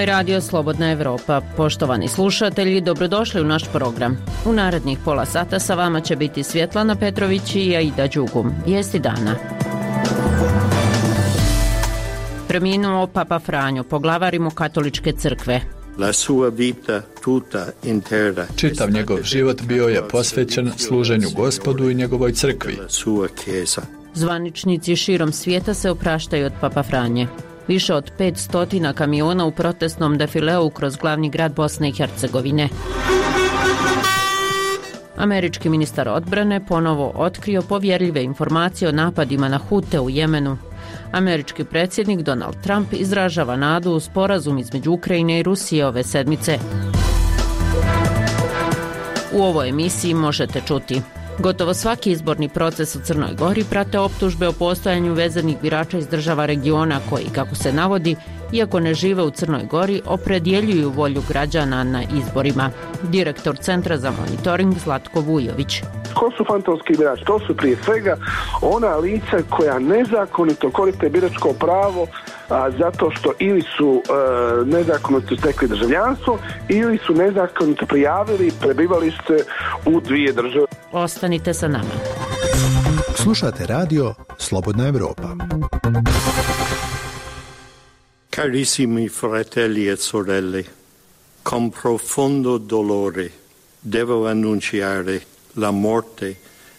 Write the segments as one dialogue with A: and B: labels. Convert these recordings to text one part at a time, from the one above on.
A: Ovo je radio Slobodna Evropa. Poštovani slušatelji, dobrodošli u naš program. U narednih pola sata sa vama će biti Svjetlana Petrović i Aida Đugum. Vijesti dana. Preminuo Papa Franjo, poglavar Rimokatoličke crkve.
B: Čitav njegov život bio je posvećen služenju Gospodu i njegovoj crkvi.
A: Zvaničnici širom svijeta se opraštaju od Papa Franje. Više od 500 kamiona u protestnom defileu kroz glavni grad Bosne i Hercegovine. Američki ministar odbrane ponovo otkrio povjerljive informacije o napadima na Hute u Jemenu. Američki predsjednik Donald Trump izražava nadu u sporazum između Ukrajine i Rusije ove sedmice. U ovoj emisiji možete čuti: gotovo svaki izborni proces u Crnoj Gori prate optužbe o postojanju vezanih birača iz država regiona koji, kako se navodi, iako ne žive u Crnoj Gori, opredjeljuju volju građana na izborima. Direktor Centra za monitoring Zlatko Vujović.
C: Ko su fantomski birači? To su prije svega ona lica koja nezakonito koriste biračko pravo zato što ili su nezakonito stekli državljanstvo ili su nezakonito prijavili prebivalište u dvije države.
A: Ostanite sa nama.
D: Slušate radio Slobodna Evropa.
E: Carissimi fratelli e sorelle, con profondo dolore devo annunciare la morte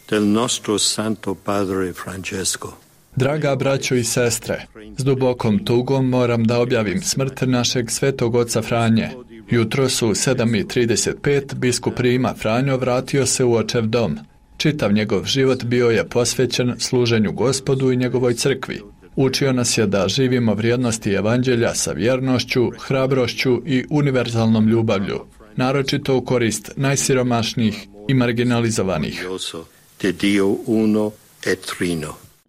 E: del nostro Santo Padre Francesco.
B: Draga braćo i sestre, s dubokom tugom moram da objavim smrt našeg svetog oca Franje. Jutros u 7:35 biskup Rima Franjo vratio se u očev dom. Čitav njegov život bio je posvećen služenju Gospodu i njegovoj crkvi. Učio nas je da živimo vrijednosti evanđelja sa vjernošću, hrabrošću i univerzalnom ljubavlju, naročito u korist najsiromašnijih i marginalizovanih.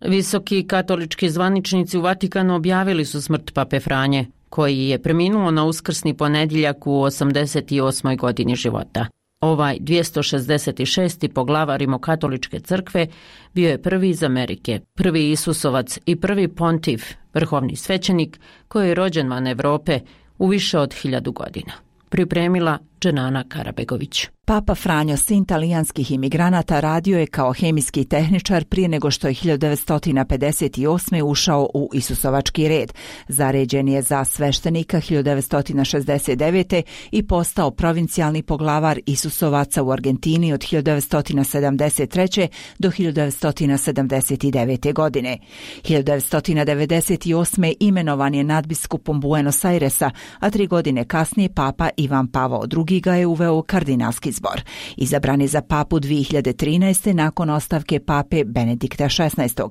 A: Visoki katolički zvaničnici u Vatikanu objavili su smrt Pape Franje, koji je preminuo na uskrsni ponedjeljak u 88. godini života. Ovaj 266. poglavar Rimokatoličke crkve bio je prvi iz Amerike, prvi Isusovac i prvi pontif, vrhovni svećenik koji je rođen van Europe u više od 1000 godina. Pripremila Dženana Karabegović.
F: Papa Franjo, sin talijanskih imigranata, radio je kao hemijski tehničar prije nego što je 1958. ušao u Isusovački red. Zaređen je za sveštenika 1969. i postao provincijalni poglavar Isusovaca u Argentini od 1973. do 1979. godine. 1998. imenovan je nadbiskupom Buenos Airesa, a 3 godine kasnije Papa Ivan Pavao II. Ga je uveo u kardinalski zbor. Izabran je za papu 2013. nakon ostavke pape Benedikta XVI.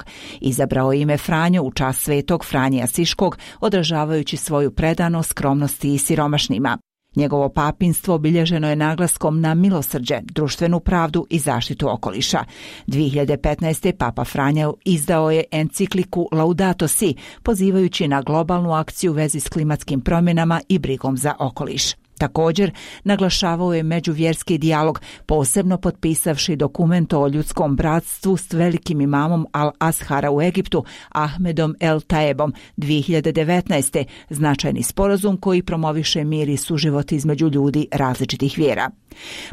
F: Izabrao ime Franjo u čast svetog Franje Asiškog, odražavajući svoju predanost skromnosti i siromašnima. Njegovo papinstvo obilježeno je naglaskom na milosrđe, društvenu pravdu i zaštitu okoliša. 2015. Papa Franjo izdao je encikliku Laudato Si, pozivajući na globalnu akciju u vezi s klimatskim promjenama i brigom za okoliš. Također, naglašavao je međuvjerski dijalog, posebno potpisavši dokument o ljudskom bratstvu s velikim imamom Al-Azhara u Egiptu, Ahmedom El Taebom, 2019. značajni sporazum koji promoviše mir i suživot između ljudi različitih vjera.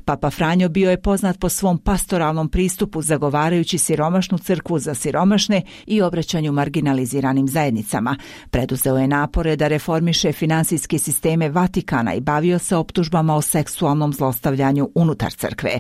F: Papa Franjo bio je poznat po svom pastoralnom pristupu, zagovarajući siromašnu crkvu za siromašne i obraćanju marginaliziranim zajednicama. Preduzeo je napore da reformiše finansijske sisteme Vatikana i bavio se optužbama o seksualnom zlostavljanju unutar crkve.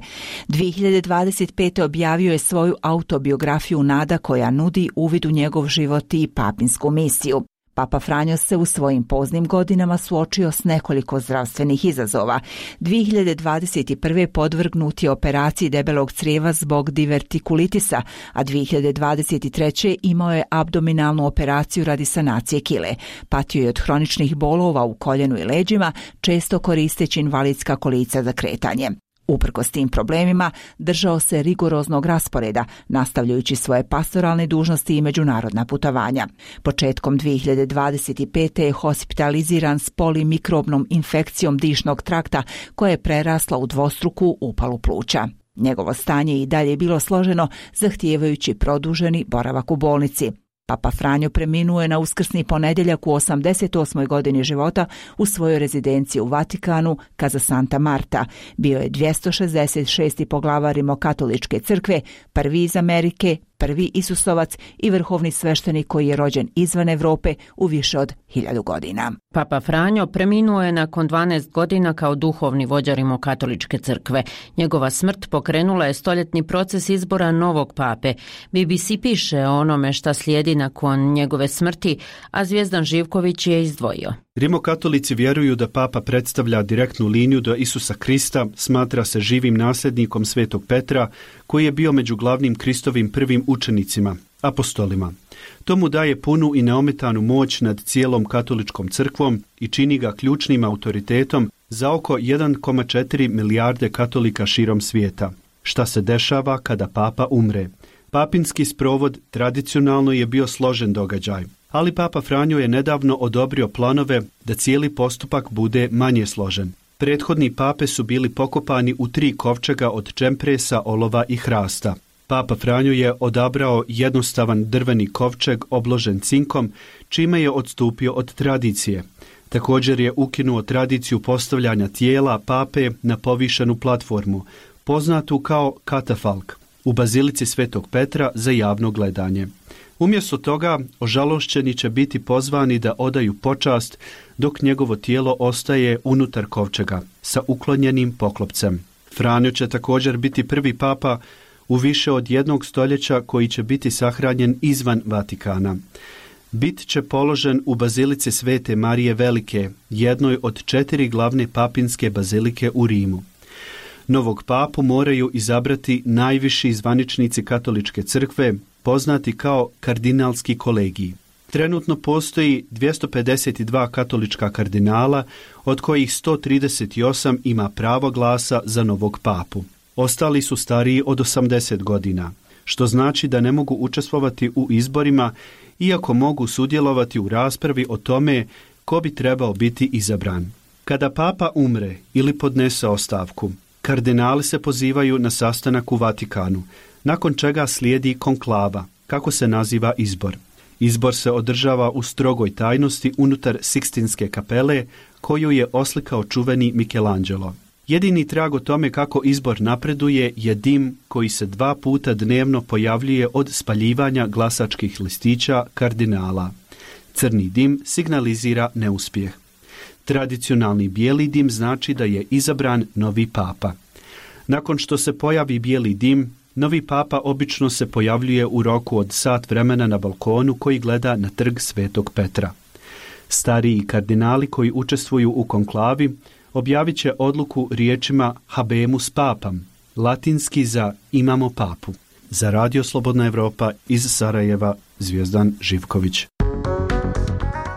F: 2025. objavio je svoju autobiografiju Nada, koja nudi uvid u njegov život i papinsku misiju. Papa Franjo se u svojim poznim godinama suočio s nekoliko zdravstvenih izazova. 2021. podvrgnut je operaciji debelog crijeva zbog divertikulitisa, a 2023. imao je abdominalnu operaciju radi sanacije kile. Patio je od hroničnih bolova u koljenu i leđima, često koristeći invalidska kolica za kretanje. Uprkos tim problemima, držao se rigoroznog rasporeda, nastavljajući svoje pastoralne dužnosti i međunarodna putovanja. Početkom 2025. je hospitaliziran s polimikrobnom infekcijom dišnog trakta koja je prerasla u dvostruku upalu pluća. Njegovo stanje i dalje je bilo složeno, zahtijevajući produženi boravak u bolnici. Papa Franjo preminuo je na uskrsni ponedjeljak u 88. godini života u svojoj rezidenciji u Vatikanu, Casa Santa Marta. Bio je 266. poglavar Rimokatoličke crkve, prvi iz Amerike, prvi Isusovac i vrhovni sveštenik koji je rođen izvan Europe u više od 1000 godina.
A: Papa Franjo preminuo je nakon 12 godina kao duhovni vođa Rimokatoličke crkve. Njegova smrt pokrenula je stoljetni proces izbora novog pape. BBC piše o onome šta slijedi nakon njegove smrti, a Zvijezdan Živković je izdvojio.
G: Rimokatolici vjeruju da papa predstavlja direktnu liniju do Isusa Krista, smatra se živim nasljednikom Svetog Petra, koji je bio među glavnim Kristovim prvim učenicima, apostolima. To mu daje punu i neometanu moć nad cijelom katoličkom crkvom i čini ga ključnim autoritetom za oko 1,4 milijarde katolika širom svijeta. Šta se dešava kada papa umre? Papinski sprovod tradicionalno je bio složen događaj, ali Papa Franjo je nedavno odobrio planove da cijeli postupak bude manje složen. Prethodni pape su bili pokopani u 3 kovčega od čempresa, olova i hrasta. Papa Franjo je odabrao jednostavan drveni kovčeg obložen cinkom, čime je odstupio od tradicije. Također je ukinuo tradiciju postavljanja tijela pape na povišenu platformu, poznatu kao katafalk, u bazilici Svetog Petra za javno gledanje. Umjesto toga, ožalošćeni će biti pozvani da odaju počast, dok njegovo tijelo ostaje unutar kovčega, sa uklonjenim poklopcem. Franjo će također biti prvi papa u više od 1 stoljeća koji će biti sahranjen izvan Vatikana. Bit će položen u bazilici Svete Marije Velike, jednoj od 4 glavne papinske bazilike u Rimu. Novog papu moraju izabrati najviši zvaničnici katoličke crkve, poznati kao kardinalski kolegiji. Trenutno postoji 252 katolička kardinala, od kojih 138 ima pravo glasa za novog papu. Ostali su stariji od 80 godina, što znači da ne mogu učestvovati u izborima, iako mogu sudjelovati u raspravi o tome ko bi trebao biti izabran. Kada papa umre ili podnese ostavku, kardinali se pozivaju na sastanak u Vatikanu, nakon čega slijedi konklava, kako se naziva izbor. Izbor se održava u strogoj tajnosti unutar Sikstinske kapele, koju je oslikao čuveni Michelangelo. Jedini trag o tome kako izbor napreduje je dim koji se 2 puta dnevno pojavljuje od spaljivanja glasačkih listića kardinala. Crni dim signalizira neuspjeh. Tradicionalni bijeli dim znači da je izabran novi papa. Nakon što se pojavi bijeli dim, novi papa obično se pojavljuje u roku od sat vremena na balkonu koji gleda na trg Svetog Petra. Stariji kardinali koji učestvuju u konklavi objavit će odluku riječima Habemus Papam, latinski za imamo papu. Za Radio Slobodna Evropa iz Sarajeva, Zvijezdan Živković.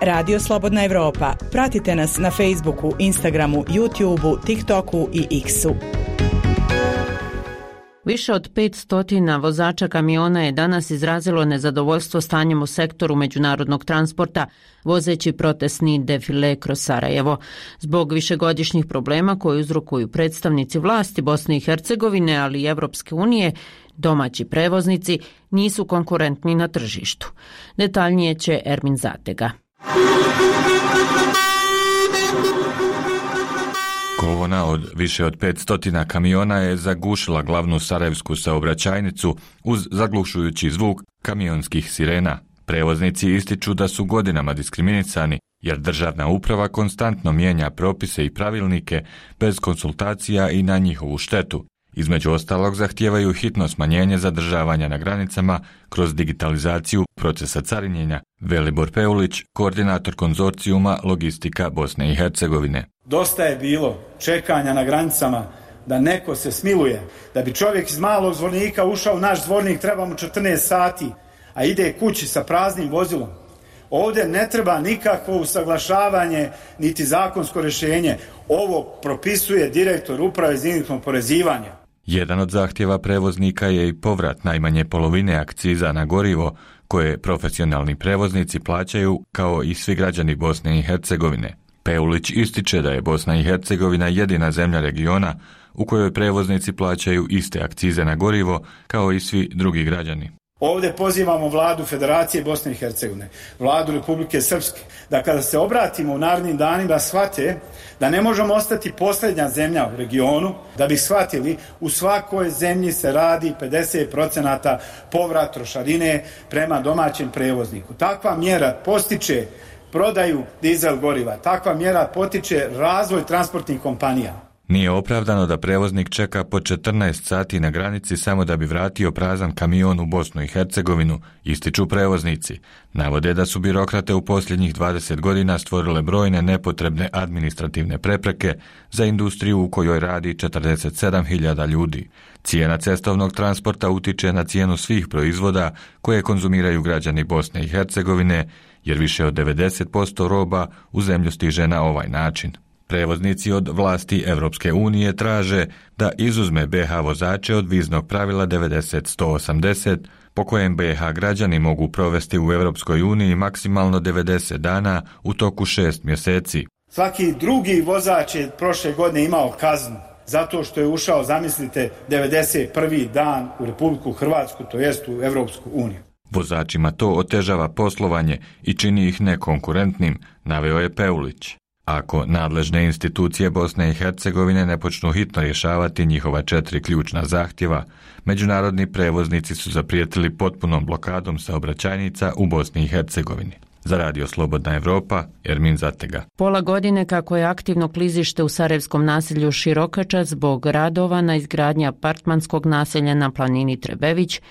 H: Radio Slobodna Evropa. Pratite nas na Facebooku, Instagramu, YouTubeu, TikToku i X-u.
A: Više od 500 vozača kamiona je danas izrazilo nezadovoljstvo stanjem u sektoru međunarodnog transporta, vozeći protestni defile kroz Sarajevo. Zbog višegodišnjih problema koje uzrokuju predstavnici vlasti Bosne i Hercegovine, ali i Evropske unije, domaći prevoznici nisu konkurentni na tržištu. Detaljnije će Ermin Zatega.
I: Kolona od više od 500 kamiona je zagušila glavnu sarajevsku saobraćajnicu uz zaglušujući zvuk kamionskih sirena. Prevoznici ističu da su godinama diskriminisani jer državna uprava konstantno mijenja propise i pravilnike bez konsultacija i na njihovu štetu. Između ostalog zahtijevaju hitno smanjenje zadržavanja na granicama kroz digitalizaciju procesa carinjenja. Velibor Peulić, koordinator konzorcijuma Logistika Bosne i Hercegovine.
J: Dosta je bilo čekanja na granicama da neko se smiluje. Da bi čovjek iz Malog Zvornika ušao u naš Zvornik treba mu 14 sati, a ide kući sa praznim vozilom. Ovdje ne treba nikakvo usaglašavanje niti zakonsko rješenje. Ovo propisuje direktor uprave za indirektno oporezivanje.
I: Jedan od zahtjeva prevoznika je i povrat najmanje polovine akciza na gorivo koje profesionalni prevoznici plaćaju kao i svi građani Bosne i Hercegovine. Peulić ističe da je Bosna i Hercegovina jedina zemlja regiona u kojoj prevoznici plaćaju iste akcize na gorivo kao i svi drugi građani.
J: Ovdje pozivamo vladu Federacije Bosne i Hercegovine, vladu Republike Srpske, da kada se obratimo u narednim danima shvate da ne možemo ostati posljednja zemlja u regionu, da bi shvatili u svakoj zemlji se radi 50% povrat trošarine prema domaćem prevozniku. Takva mjera postiče prodaju dizel goriva, takva mjera potiče razvoj transportnih kompanija.
I: Nije opravdano da prevoznik čeka po 14 sati na granici samo da bi vratio prazan kamion u Bosnu i Hercegovinu, ističu prevoznici. Navode da su birokrate u posljednjih 20 godina stvorile brojne nepotrebne administrativne prepreke za industriju u kojoj radi 47.000 ljudi. Cijena cestovnog transporta utiče na cijenu svih proizvoda koje konzumiraju građani Bosne i Hercegovine, jer više od 90% roba u zemlju stiže na ovaj način. Prevoznici od vlasti Europske unije traže da izuzme BiH vozače od viznog pravila 90-180, po kojem BiH građani mogu provesti u Europskoj uniji maksimalno 90 dana u toku 6 mjeseci.
J: Svaki drugi vozač je prošle godine imao kaznu zato što je ušao, zamislite, 91. dan u Republiku Hrvatsku, to jest u Europsku uniju.
I: Vozačima to otežava poslovanje i čini ih nekonkurentnim, naveo je Peulić. Ako nadležne institucije Bosne i Hercegovine ne počnu hitno rješavati njihova 4 ključna zahtjeva, međunarodni prevoznici su zaprijetili potpunom blokadom saobraćajnica u Bosni i Hercegovini. Za Radio Slobodna Evropa, Ermin Zatega.
A: Pola godine kako je aktivno klizište u sarajevskom naselju Širokača zbog radova na izgradnji apartmanskog naselja na planini Trebević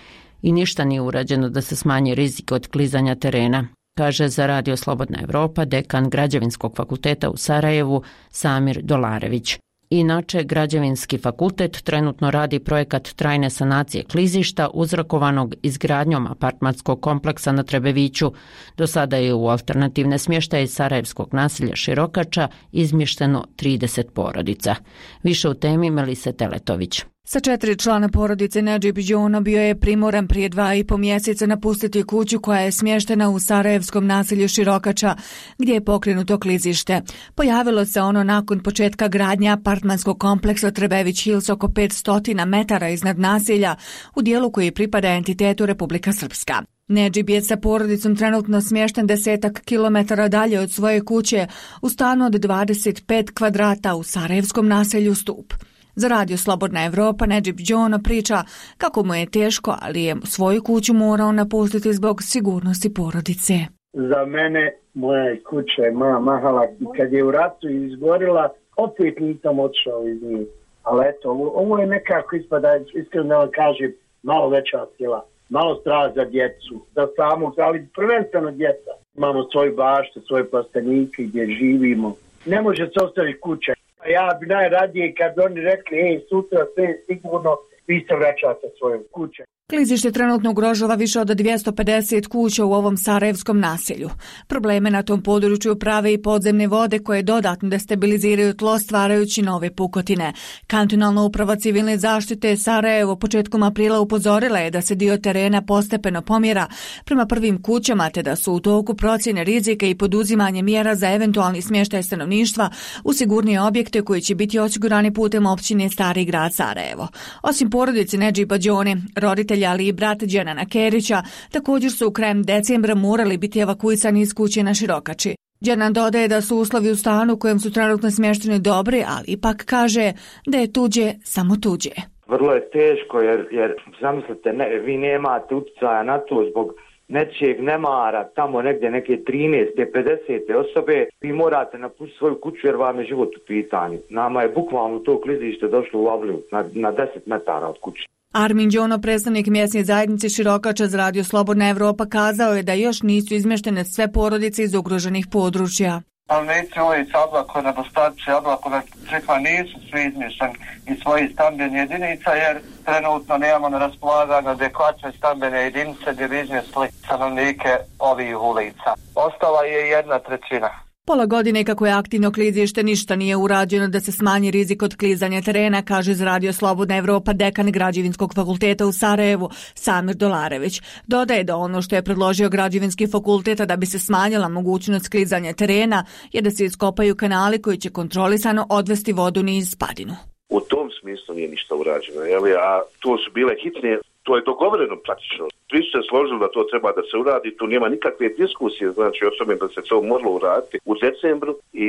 A: i ništa nije urađeno da se smanji rizik od klizanja terena, kaže za Radio Slobodna Evropa dekan Građevinskog fakulteta u Sarajevu Samir Dolarević. Inače, Građevinski fakultet trenutno radi projekat trajne sanacije klizišta uzrokovanog izgradnjom apartmanskog kompleksa na Trebeviću. Do sada je u alternativne smještaje sarajevskog naselja Širokača izmješteno 30 porodica. Više u temi Melise Teletović.
K: Sa 4 člana porodice Nedžib Džona bio je primoran prije 2,5 mjeseca napustiti kuću koja je smještena u sarajevskom naselju Širokača, gdje je pokrenuto klizište. Pojavilo se ono nakon početka gradnje apartmanskog kompleksa Trebević Hills oko 500 metara iznad naselja, u dijelu koji pripada entitetu Republika Srpska. Nedžib je sa porodicom trenutno smješten 10 kilometara dalje od svoje kuće u stanu od 25 kvadrata u sarajevskom naselju Stup. Za Radio Slobodna Evropa Nedžib Džona priča kako mu je teško, ali je svoju kuću morao napustiti zbog sigurnosti porodice.
L: Za mene moja kuća je moja mahala i kad je u ratu izgorila, opet nisam otišao iz nje. Ali eto, ovo je nekako ispada, iskreno da vam kažem, malo veća sila, malo strah za djecu, za samog, ali prvenstveno djeca. Imamo svoju baštu, svoje plastenike gdje živimo. Ne može se ostaviti kuća. Ja bi najradije kad oni rekli, sutra sve je sigurno, vi se vraćate svoje kuće.
K: Klizište trenutno ugrožava više od 250 kuća u ovom sarajevskom naselju. Probleme na tom području prave i podzemne vode koje dodatno destabiliziraju tlo stvarajući nove pukotine. Kantonalna uprava civilne zaštite Sarajevo početkom aprila upozorila je da se dio terena postepeno pomjera prema prvim kućama te da su u toku procjene rizika i poduzimanje mjera za eventualni smještaj stanovništva u sigurnije objekte koji će biti osigurani putem općine Stari grad Sarajevo. Osim porodice Nedžiba Džone, roditelji ali i brat Dženana Kerića također su krajem decembra morali biti evakuisani iz kuće na Širokači. Dženan dodaje da su uslovi u stanu u kojem su trenutno smješteni dobri, ali ipak kaže da je tuđe samo tuđe.
M: Vrlo je teško jer zamislite, vi nemate utjecaja na to zbog nečijeg nemara, tamo negdje neke 13. 50. osobe, vi morate napustiti svoju kuću jer vam je život u pitanju. Nama je bukvalno to klizište došlo u avliju na 10 metara od kuće.
K: Armin Džono, predstavnik mjesne zajednice Širokača za Radio Slobodna Evropa, kazao je da još nisu izmještene sve porodice iz ugroženih područja.
N: Stanovnici ulica Oblako, nedostaci Oblako, Crkva nisu svi izmješteni iz svojih stambenih jedinica jer trenutno nemamo na raspolaganju adekvatne stambene jedinice gdje bi izmjestili stanovnike ovih ulica. Ostala je 1/3.
K: Pola godine kako je aktivno klizište ništa nije urađeno da se smanji rizik od klizanja terena, kaže za Radio Slobodna Evropa dekan Građevinskog fakulteta u Sarajevu Samir Dolarević. Dodaje da ono što je predložio Građevinski fakultet da bi se smanjila mogućnost klizanja terena je da se iskopaju kanali koji će kontrolisano odvesti vodu niz padinu.
O: U tom smislu nije ništa urađeno, a to su bile hitne To je dogovoreno praktično. Svi su se složili da to treba da se uradi, tu nema nikakve diskusije, znači o tome da se to moralo uraditi u decembru i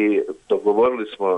O: dogovorili smo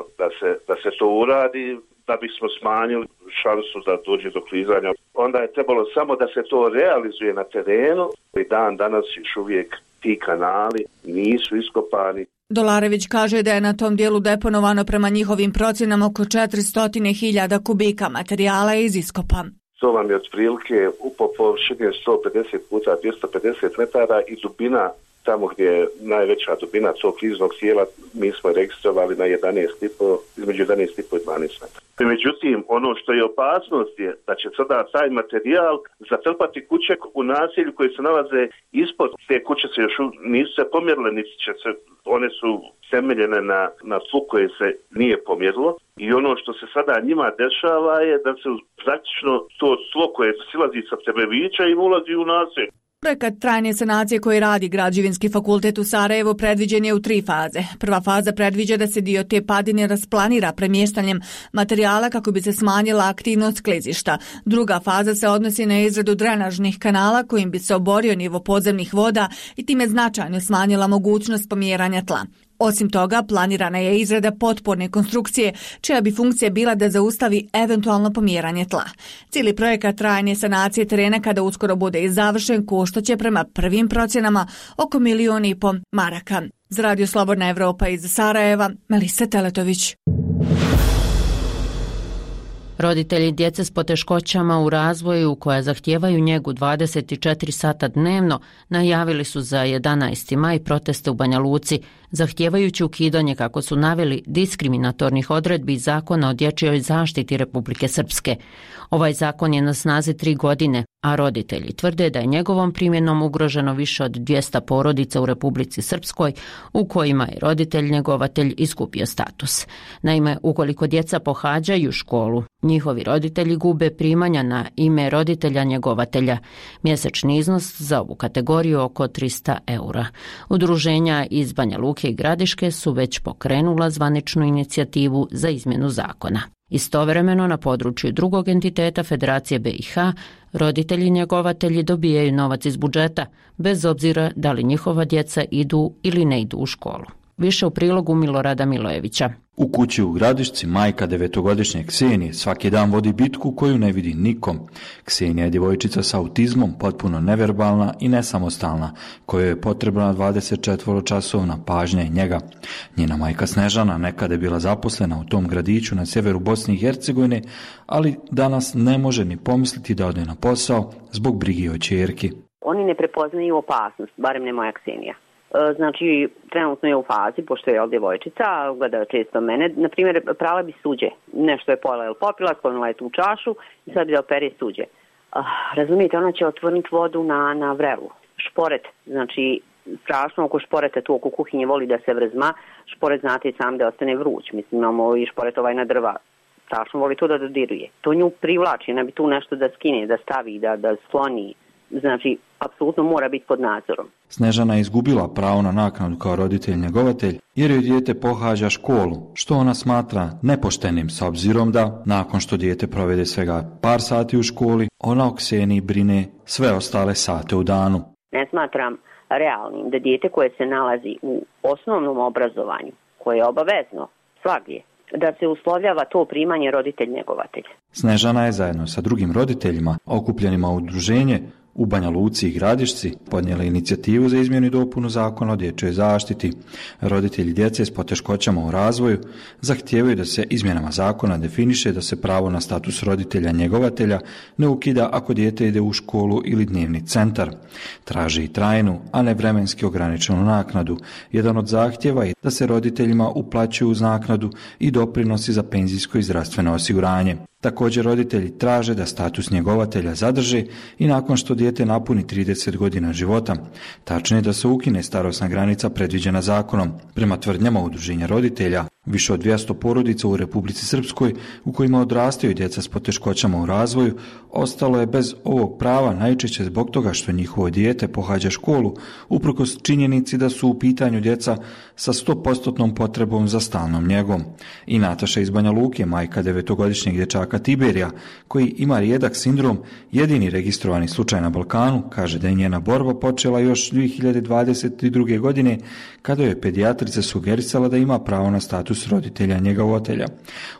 O: da se to uradi da bismo smanjili šansu da dođe do klizanja. Onda je trebalo samo da se to realizuje na terenu i dan danas još uvijek ti kanali nisu iskopani.
K: Dolarević kaže da je na tom dijelu deponovano prema njihovim procjenama oko 400.000 kubika materijala iz iskopa.
O: To vam je otprilike po površini 150 puta 250 metara i dubina, tamo gdje je najveća dubina tog kliznog tijela, mi smo registrovali na 11,5, između 11,5 i 12 metara. Međutim, ono što je opasnost je da će sada taj materijal zatrpati kuće u naselju koji se nalaze ispod. Te kuće se još nisu se pomjerile, niti će se, one su temeljene na tlu koje se nije pomjerilo. I ono što se sada njima dešava je da se praktično to tlo koje silazi sa Tebevića i ulazi u naselje.
K: Projekat trajne sanacije koji radi Građevinski fakultet u Sarajevu predviđen je u 3 faze. Prva faza predviđa da se dio te padine rasplanira premještanjem materijala kako bi se smanjila aktivnost klizišta. Druga faza se odnosi na izradu drenažnih kanala kojim bi se oborio nivo podzemnih voda i time značajno smanjila mogućnost pomjeranja tla. Osim toga, planirana je izrada potporne konstrukcije, čija bi funkcija bila da zaustavi eventualno pomjeranje tla. Cijeli projekat trajne sanacije terena, kada uskoro bude i završen, koštaće prema prvim procjenama oko 1,5 miliona maraka. Za Radio Slobodna Evropa iz Sarajeva, Melisa Teletović.
A: Roditelji djece s poteškoćama u razvoju koja zahtijevaju njegu 24 sata dnevno najavili su za 11. maj proteste u Banja Luci, zahtijevajući ukidanje, kako su naveli, diskriminatornih odredbi Zakona o dječjoj zaštiti Republike Srpske. Ovaj zakon je na snazi 3 godine, a roditelji tvrde da je njegovom primjenom ugroženo više od 200 porodica u Republici Srpskoj u kojima je roditelj njegovatelj izgubio status. Naime, ukoliko djeca pohađaju školu, njihovi roditelji gube primanja na ime roditelja njegovatelja. Mjesečni iznos za ovu kategoriju oko 300 eura. Udruženja iz Banja Luke i Gradiške su već pokrenula zvaničnu inicijativu za izmjenu zakona. Istovremeno na području drugog entiteta Federacije BiH roditelji njegovatelji dobijaju novac iz budžeta, bez obzira da li njihova djeca idu ili ne idu u školu. Više u prilogu Milorada Milojevića.
P: U kući u Gradišci majka 9-godišnje Ksenije svaki dan vodi bitku koju ne vidi nikom. Ksenija je djevojčica s autizmom, potpuno neverbalna i nesamostalna, kojoj je potrebna 24-časovna pažnja i njega. Njena majka Snežana nekada je bila zaposlena u tom gradiću na sjeveru Bosne i Hercegovine, ali danas ne može ni pomisliti da ode na posao zbog brige o ćerki.
Q: Oni ne prepoznaju opasnost, barem ne moja Ksenija. Znači, trenutno je u fazi, pošto je djevojčica, gleda često mene, na primjer, prala bi suđe. Nešto je pojela ili popila, sklonila je tu čašu i sad bi da opere suđe. Razumijete, ona će otvoriti vodu na vrelu. Šporet, znači, strašno oko šporeta, tu oko kuhinje voli da se vrzma. Šporet, znate, sam da ostane vruć. Mislim, imamo i šporet na drva. Strašno voli to da dodiruje. To nju privlači, ona bi tu nešto da skine, da stavi, da sloni. Znači, apsolutno mora biti pod nadzorom.
P: Snežana je izgubila pravo na naknadu kao roditelj njegovatelj jer joj dijete pohađa školu, što ona smatra nepoštenim s obzirom da, nakon što dijete provede svega par sati u školi, ona o Kseniji brine sve ostale sate u danu.
Q: Ne smatram realnim da dijete koje se nalazi u osnovnom obrazovanju, koje je obavezno svagdje, da se uslovljava to primanje roditelj njegovatelj.
P: Snežana je zajedno sa drugim roditeljima, okupljenima u udruženje u Banja Luci i Gradišci, podnijela inicijativu za izmjenu i dopunu Zakona o dječjoj zaštiti. Roditelji djece s poteškoćama u razvoju zahtijevaju da se izmjenama zakona definiše da se pravo na status roditelja njegovatelja ne ukida ako dijete ide u školu ili dnevni centar. Traže i trajnu, a ne vremenski ograničenu naknadu. Jedan od zahtjeva je da se roditeljima uplaćuju uz naknadu i doprinosi za penzijsko i zdravstveno osiguranje. Također roditelji traže da status njegovatelja zadrže i nakon što dijete napuni 30 godina života. Tačnije da se ukine starosna granica predviđena zakonom. Prema tvrdnjama udruženja roditelja, Više od 200 porodica u Republici Srpskoj u kojima odrastaju djeca s poteškoćama u razvoju ostalo je bez ovog prava najčešće zbog toga što njihovo dijete pohađa školu, uprkos činjenici da su u pitanju djeca sa 100% potrebom za stalnom njegom. I Nataša iz Banja Luke, majka 9-godišnjeg dječaka Tiberija, koji ima rijedak sindrom, jedini registrovani slučaj na Balkanu, kaže da je njena borba počela još 2022. godine kada je pedijatrica sugerisala da ima pravo na status roditelja njegovatelja.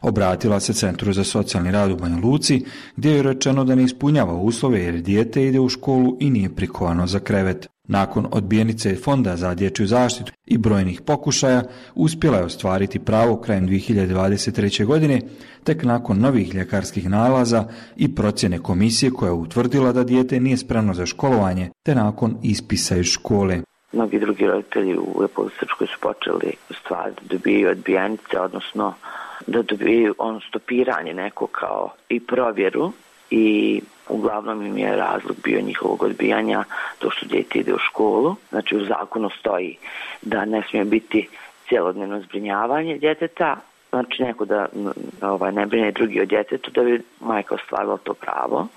P: Obratila se Centru za socijalni rad u Banja Luci, gdje je rečeno da ne ispunjava uslove jer dijete ide u školu i nije prikovano za krevet. Nakon odbijenice Fonda za dječju zaštitu i brojnih pokušaja, uspjela je ostvariti pravo krajem 2023. godine, tek nakon novih ljekarskih nalaza i procjene komisije koja je utvrdila da dijete nije spremno za školovanje, te nakon ispisa iz škole.
R: Mnogi drugi roditelji u Republici Srpskoj su počeli stvari da dobiju odbijenice, odnosno da dobiju stopiranje neko kao i provjeru, i uglavnom im je razlog bio njihovog odbijanja to što dijete ide u školu. Znači u zakonu stoji da ne smije biti cjelodnevno zbrinjavanje djeteta, znači neko da ne brine drugi o djetetu da bi majka ostvarila to pravo.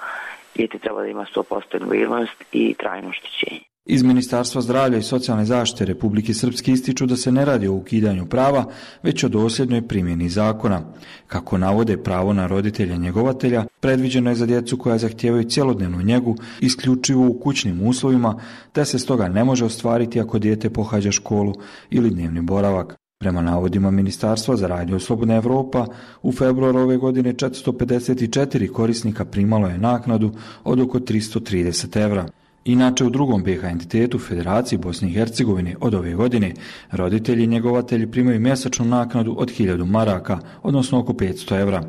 R: Dijete treba da ima 100% invalidnost i trajno oštećenje.
P: Iz Ministarstva zdravlja i socijalne zaštite Republike Srpske ističu da se ne radi o ukidanju prava, već o dosljednoj primjeni zakona. Kako navode, pravo na roditelja njegovatelja predviđeno je za djecu koja zahtijevaju cjelodnevnu njegu isključivo u kućnim uslovima, te se stoga ne može ostvariti ako dijete pohađa školu ili dnevni boravak. Prema navodima Ministarstva za Radio Slobodna Evropa, u februaru ove godine 454 korisnika primalo je naknadu od oko 330 evra. Inače, u drugom BiH entitetu Federaciji Bosne i Hercegovine od ove godine roditelji i njegovatelji primaju mjesečnu naknadu od 1000 maraka, odnosno oko 500 evra.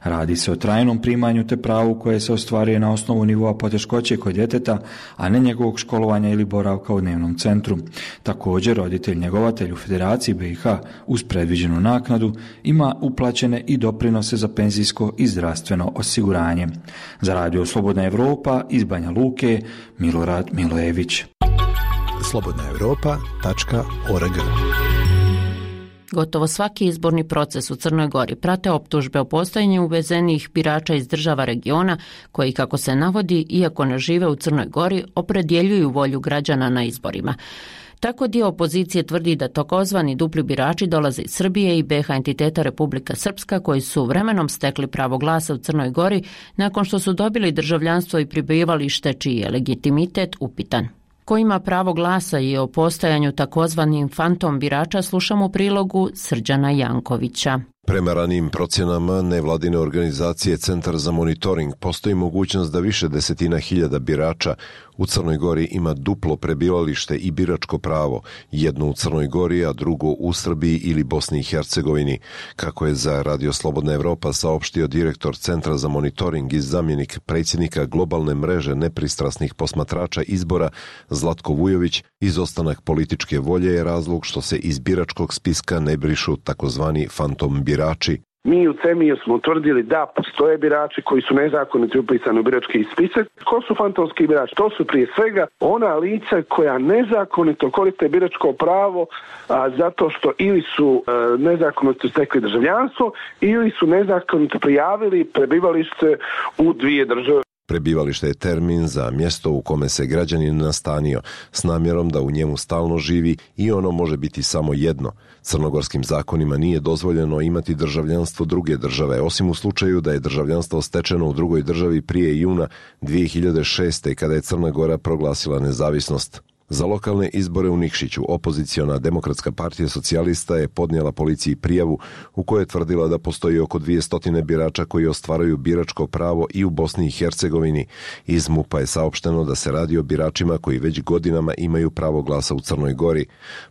P: Radi se o trajnom primanju te pravu koje se ostvaruje na osnovu nivoa poteškoće kod djeteta, a ne njegovog školovanja ili boravka u dnevnom centru. Također, roditelj njegovatelj u Federaciji BiH uz predviđenu naknadu ima uplaćene i doprinose za penzijsko i zdravstveno osiguranje. Za Radio Slobodna Evropa iz Banja Luke, Milorad Milojević.
D: slobodnaevropa.org.
A: Gotovo svaki izborni proces u Crnoj Gori prate optužbe o postojanju uvezenih birača iz država regiona koji, kako se navodi, iako ne žive u Crnoj Gori, opredjeljuju volju građana na izborima. Tako dio opozicije tvrdi da takozvani dupli birači dolaze iz Srbije i BiH entiteta Republika Srpska koji su vremenom stekli pravo glasa u Crnoj Gori nakon što su dobili državljanstvo i prebivalište čiji je legitimitet upitan. Ko ima pravo glasa i o postojanju takozvanim fantom birača slušamo u prilogu Srđana Jankovića.
S: Prema ranijim procjenama nevladine organizacije Centar za monitoring postoji mogućnost da više desetina hiljada birača u Crnoj Gori ima duplo prebivalište i biračko pravo, jedno u Crnoj Gori, a drugo u Srbiji ili Bosni i Hercegovini, kako je za Radio Slobodna Evropa saopštio direktor Centra za monitoring i zamjenik predsjednika globalne mreže nepristrasnih posmatrača izbora Zlatko Vujović. Izostanak političke volje je razlog što se iz biračkog spiska ne brišu takozvani fantom birači.
C: Mi u CEMI-u smo utvrdili da postoje birači koji su nezakonito upisani u birački spisak. Ko su fantomski birači? To su prije svega ona lica koja nezakonito koriste biračko pravo zato što ili su nezakonito stekli državljanstvo ili su nezakonito prijavili prebivalište u dvije države.
S: Prebivalište je termin za mjesto u kome se građanin nastanio s namjerom da u njemu stalno živi i ono može biti samo jedno. Crnogorskim zakonima nije dozvoljeno imati državljanstvo druge države, osim u slučaju da je državljanstvo stečeno u drugoj državi prije juna 2006. kada je Crna Gora proglasila nezavisnost. Za lokalne izbore u Nikšiću opoziciona Demokratska partija socijalista je podnijela policiji prijavu u kojoj je tvrdila da postoji oko 200 birača koji ostvaruju biračko pravo i u Bosni i Hercegovini. Iz MUP-a je saopšteno da se radi o biračima koji već godinama imaju pravo glasa u Crnoj Gori.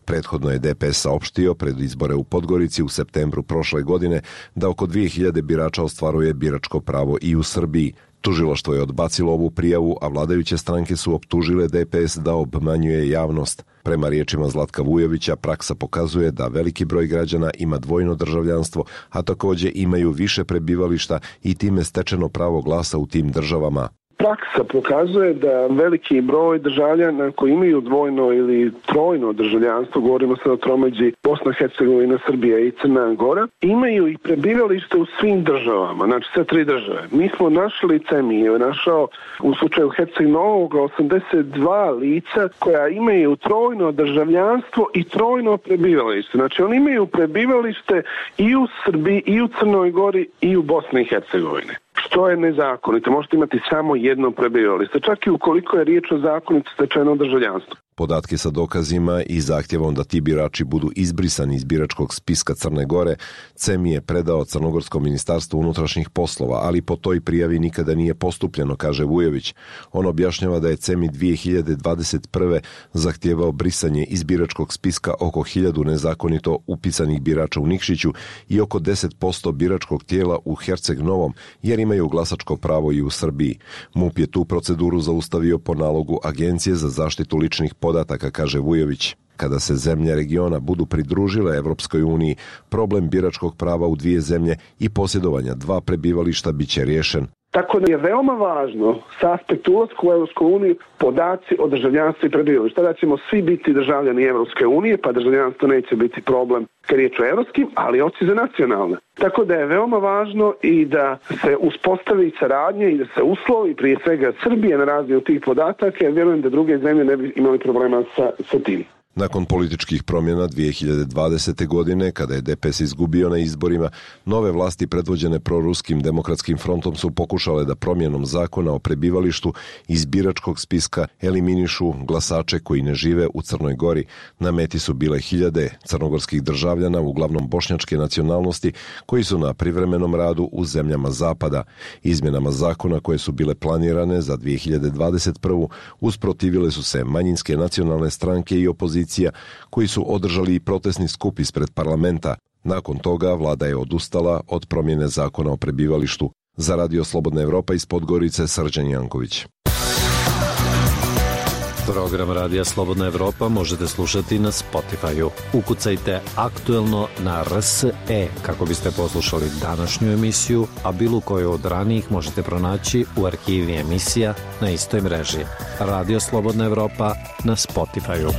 S: Prethodno je DPS saopštio pred izbore u Podgorici u septembru prošle godine da oko 2000 birača ostvaruje biračko pravo i u Srbiji. Tužilaštvo je odbacilo ovu prijavu, a vladajuće stranke su optužile DPS da obmanjuje javnost. Prema riječima Zlatka Vujovića, praksa pokazuje da veliki broj građana ima dvojno državljanstvo, a također imaju više prebivališta i time stečeno pravo glasa u tim državama.
C: praksa pokazuje da veliki broj državljana koji imaju dvojno ili trojno državljanstvo, govorimo sad o tromeđi Bosna, Hercegovina, Srbija i Crna Gora, imaju i prebivalište u svim državama, znači sve 3 države. Mi smo našli, CEMI je našao u slučaju Herceg Novog 82 lica koja imaju trojno državljanstvo i trojno prebivalište. Znači oni imaju prebivalište i u Srbiji, i u Crnoj Gori, i u Bosni i Hercegovini. Što je nezakonito? Možete imati samo jedno prebivalište, čak i ukoliko je riječ o zakonito stečenom državljanstvu.
S: Podatke sa dokazima i zahtjevom da ti birači budu izbrisani iz biračkog spiska Crne Gore, CEMI je predao Crnogorskom ministarstvu unutrašnjih poslova, ali po toj prijavi nikada nije postupljeno, kaže Vujović. On objašnjava da je CEMI 2021. zahtjevao brisanje iz biračkog spiska oko 1000 nezakonito upisanih birača u Nikšiću i oko 10% biračkog tijela u Herceg Novom, jer imaju glasačko pravo i u Srbiji. MUP je tu proceduru zaustavio po nalogu Agencije za zaštitu ličnih podataka, kaže Vujović. Kada se zemlje regiona budu pridružile Evropskoj uniji, problem biračkog prava u 2 zemlje i posjedovanja 2 prebivališta bit će riješen.
C: Tako da je veoma važno sa aspekta ulaska u Evropsku uniju podaci o državljanstvu i prebivalištu. Tada ćemo svi biti državljani Evropske unije, pa državljanstvo neće biti problem kad je riječ o evropskim, ali oci za nacionalne. Tako da je veoma važno i da se uspostavi saradnje i da se uslovi prije svega Srbije na razmjenu tih podataka, jer vjerujem da druge zemlje ne bi imali problema sa tim.
S: Nakon političkih promjena 2020. godine, kada je DPS izgubio na izborima, nove vlasti predvođene proruskim demokratskim frontom su pokušale da promjenom zakona o prebivalištu iz biračkog spiska eliminišu glasače koji ne žive u Crnoj Gori. Na meti su bile 1000 crnogorskih državljana, uglavnom bošnjačke nacionalnosti, koji su na privremenom radu u zemljama zapada. Izmjenama zakona koje su bile planirane za 2021. usprotivile su se manjinske nacionalne stranke i opozicija, koji su održali i protestni skup ispred parlamenta. Nakon toga vlada je odustala od promjene zakona o prebivalištu. Za Radio Slobodna Evropa iz Podgorice, Srđan Janković.
T: Program Radija Slobodna Evropa možete slušati na Spotify-u. Ukucajte aktuelno na RSE kako biste poslušali današnju emisiju, a bilo koju od ranijih možete pronaći u arhivi emisija na istoj mreži. Radio Slobodna Evropa na Spotify-u.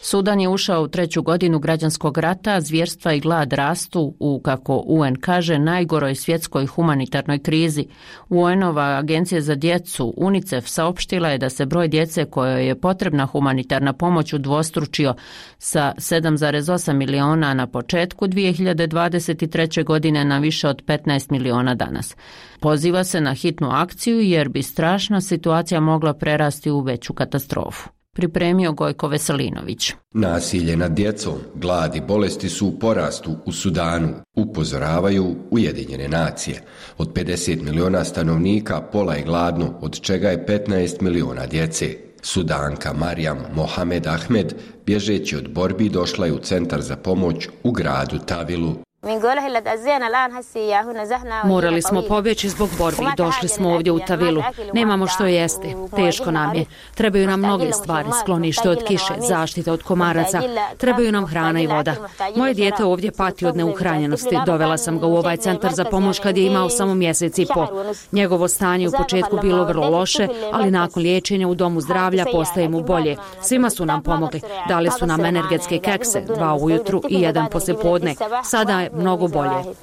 A: Sudan je ušao u 3. godinu građanskog rata, zvjerstva i glad rastu u, kako UN kaže, najgoroj svjetskoj humanitarnoj krizi. UN-ova agencija za djecu UNICEF saopštila je da se broj djece kojoj je potrebna humanitarna pomoć udvostručio sa 7,8 miliona na početku 2023. godine na više od 15 miliona danas. Poziva se na hitnu akciju jer bi strašna situacija mogla prerasti u veću katastrofu. Pripremio Gojko Veselinović.
U: Nasilje nad djecom, glad i bolesti su u porastu u Sudanu, upozoravaju Ujedinjene nacije. Od 50 miliona stanovnika pola je gladno, od čega je 15 miliona djece. Sudanka Marijam Mohamed Ahmed, bježeći od borbi, došla je u centar za pomoć u gradu Tavilu.
V: Morali smo pobjeći zbog borbi i došli smo ovdje u Tavilu. Nemamo što jesti, teško nam je. Trebaju nam mnoge stvari, sklonište od kiše, zaštita od komaraca. Trebaju nam hrana i voda. Moje dijete ovdje pati od neuhranjenosti. Dovela sam ga u ovaj centar za pomoć kad je imao samo mjesec i po. Njegovo stanje u početku bilo vrlo loše, ali nakon liječenja u domu zdravlja postaje mu bolje. Svima su nam pomogli. Dali su nam energetske kekse, 2 ujutru i 1 poslijepodne. Sada je mnogo bolje.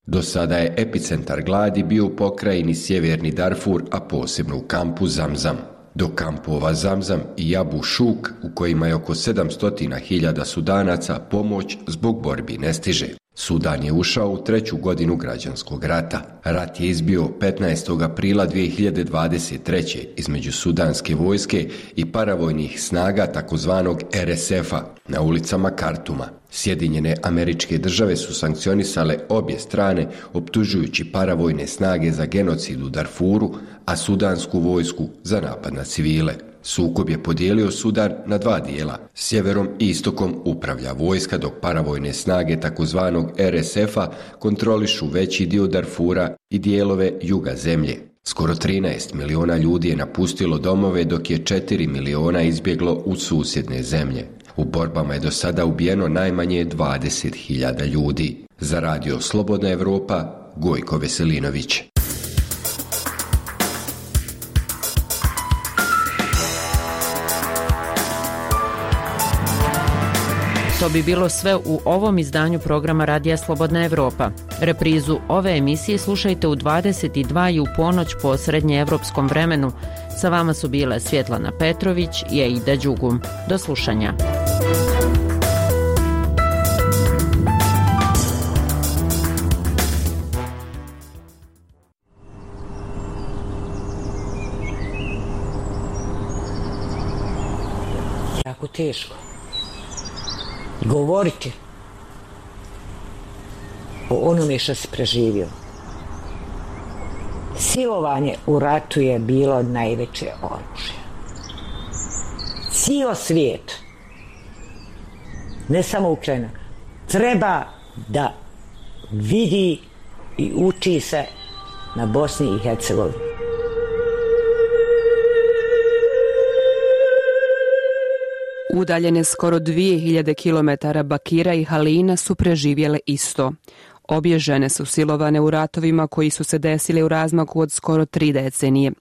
U: Do sada je epicentar gladi bio u pokrajini Sjeverni Darfur, a posebno u kampu Zamzam. Do kampova Zamzam i Abu Šuk, u kojima je oko 700.000 Sudanaca, pomoć zbog borbi ne stiže. Sudan je ušao u 3. godinu građanskog rata. Rat je izbio 15. aprila 2023. između sudanske vojske i paravojnih snaga takozvanog RSF-a na ulicama Kartuma. Sjedinjene Američke Države su sankcionisale obje strane, optužujući paravojne snage za genocid u Darfuru, a sudansku vojsku za napad na civile. Sukob je podijelio Sudan na 2 dijela. Sjeverom i istokom upravlja vojska, dok paravojne snage takozvanog RSF-a kontrolišu veći dio Darfura i dijelove juga zemlje. Skoro 13 miliona ljudi je napustilo domove, dok je 4 miliona izbjeglo u susjedne zemlje. U borbama je do sada ubijeno najmanje 20.000 ljudi. Za Radio Slobodna Evropa, Gojko Veselinović.
A: To bi bilo sve u ovom izdanju programa Radija Slobodna Evropa. Reprizu ove emisije slušajte u 22 i u ponoć po srednjeevropskom vremenu. Sa vama su bile Svjetlana Petrović i Aida Đugum. Do slušanja.
B: Jako teško govoriti o onome što si preživio. Silovanje u ratu je bilo najveće oružje. Cijel svijet, ne samo Ukrajina, treba da vidi i uči se na Bosni i Hercegovini.
E: Udaljene skoro 2000 km Bakira i Halina su preživjele isto. Obje žene su silovane u ratovima koji su se desili u razmaku od skoro 3 decenije.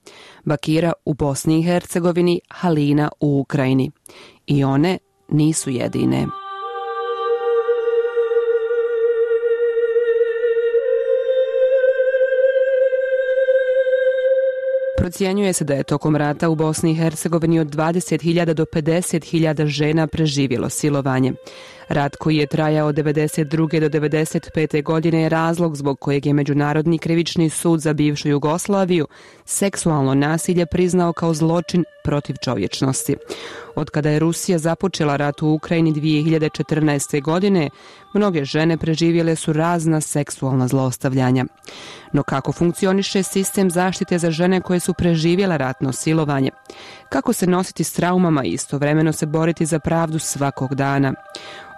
E: Bakira u Bosni i Hercegovini, Halina u Ukrajini. I one nisu jedine. Procjenjuje se da je tokom rata u Bosni i Hercegovini od 20.000 do 50.000 žena preživjelo silovanje. Rat koji je trajao od 1992. do 1995. godine je razlog zbog kojeg je Međunarodni krivični sud za bivšu Jugoslaviju seksualno nasilje priznao kao zločin protiv čovječnosti. Od kada je Rusija započela rat u Ukrajini 2014. godine, mnoge žene preživjele su razna seksualna zlostavljanja. No kako funkcioniše sistem zaštite za žene koje su preživjela ratno silovanje? Kako se nositi s traumama i istovremeno se boriti za pravdu svakog dana?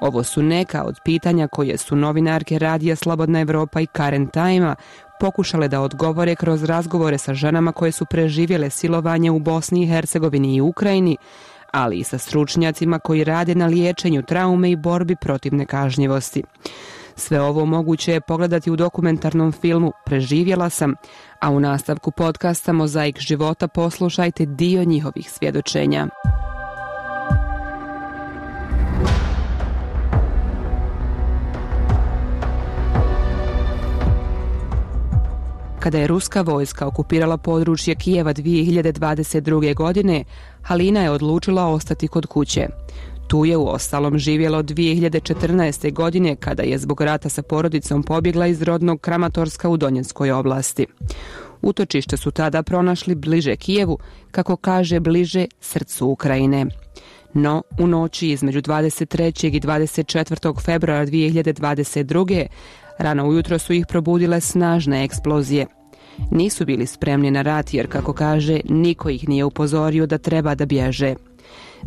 E: Ovo su neka od pitanja koje su novinarke Radija Slobodna Evropa i Current Time-a pokušale da odgovore kroz razgovore sa ženama koje su preživjele silovanje u Bosni i Hercegovini i Ukrajini, ali i sa stručnjacima koji rade na liječenju traume i borbi protiv nekažnjivosti. Sve ovo moguće je pogledati u dokumentarnom filmu Preživjela sam, a u nastavku podcasta Mozaik života poslušajte dio njihovih svjedočenja. Kada je ruska vojska okupirala područje Kijeva 2022. godine, Halina je odlučila ostati kod kuće. Tu je uostalom živjela od 2014. godine kada je zbog rata sa porodicom pobjegla iz rodnog Kramatorska u Donjeckoj oblasti. Utočište su tada pronašli bliže Kijevu, kako kaže bliže srcu Ukrajine. No, u noći između 23. i 24. februara 2022. rano ujutro su ih probudile snažne eksplozije. Nisu bili spremni na rat jer, kako kaže, niko ih nije upozorio da treba da bježe.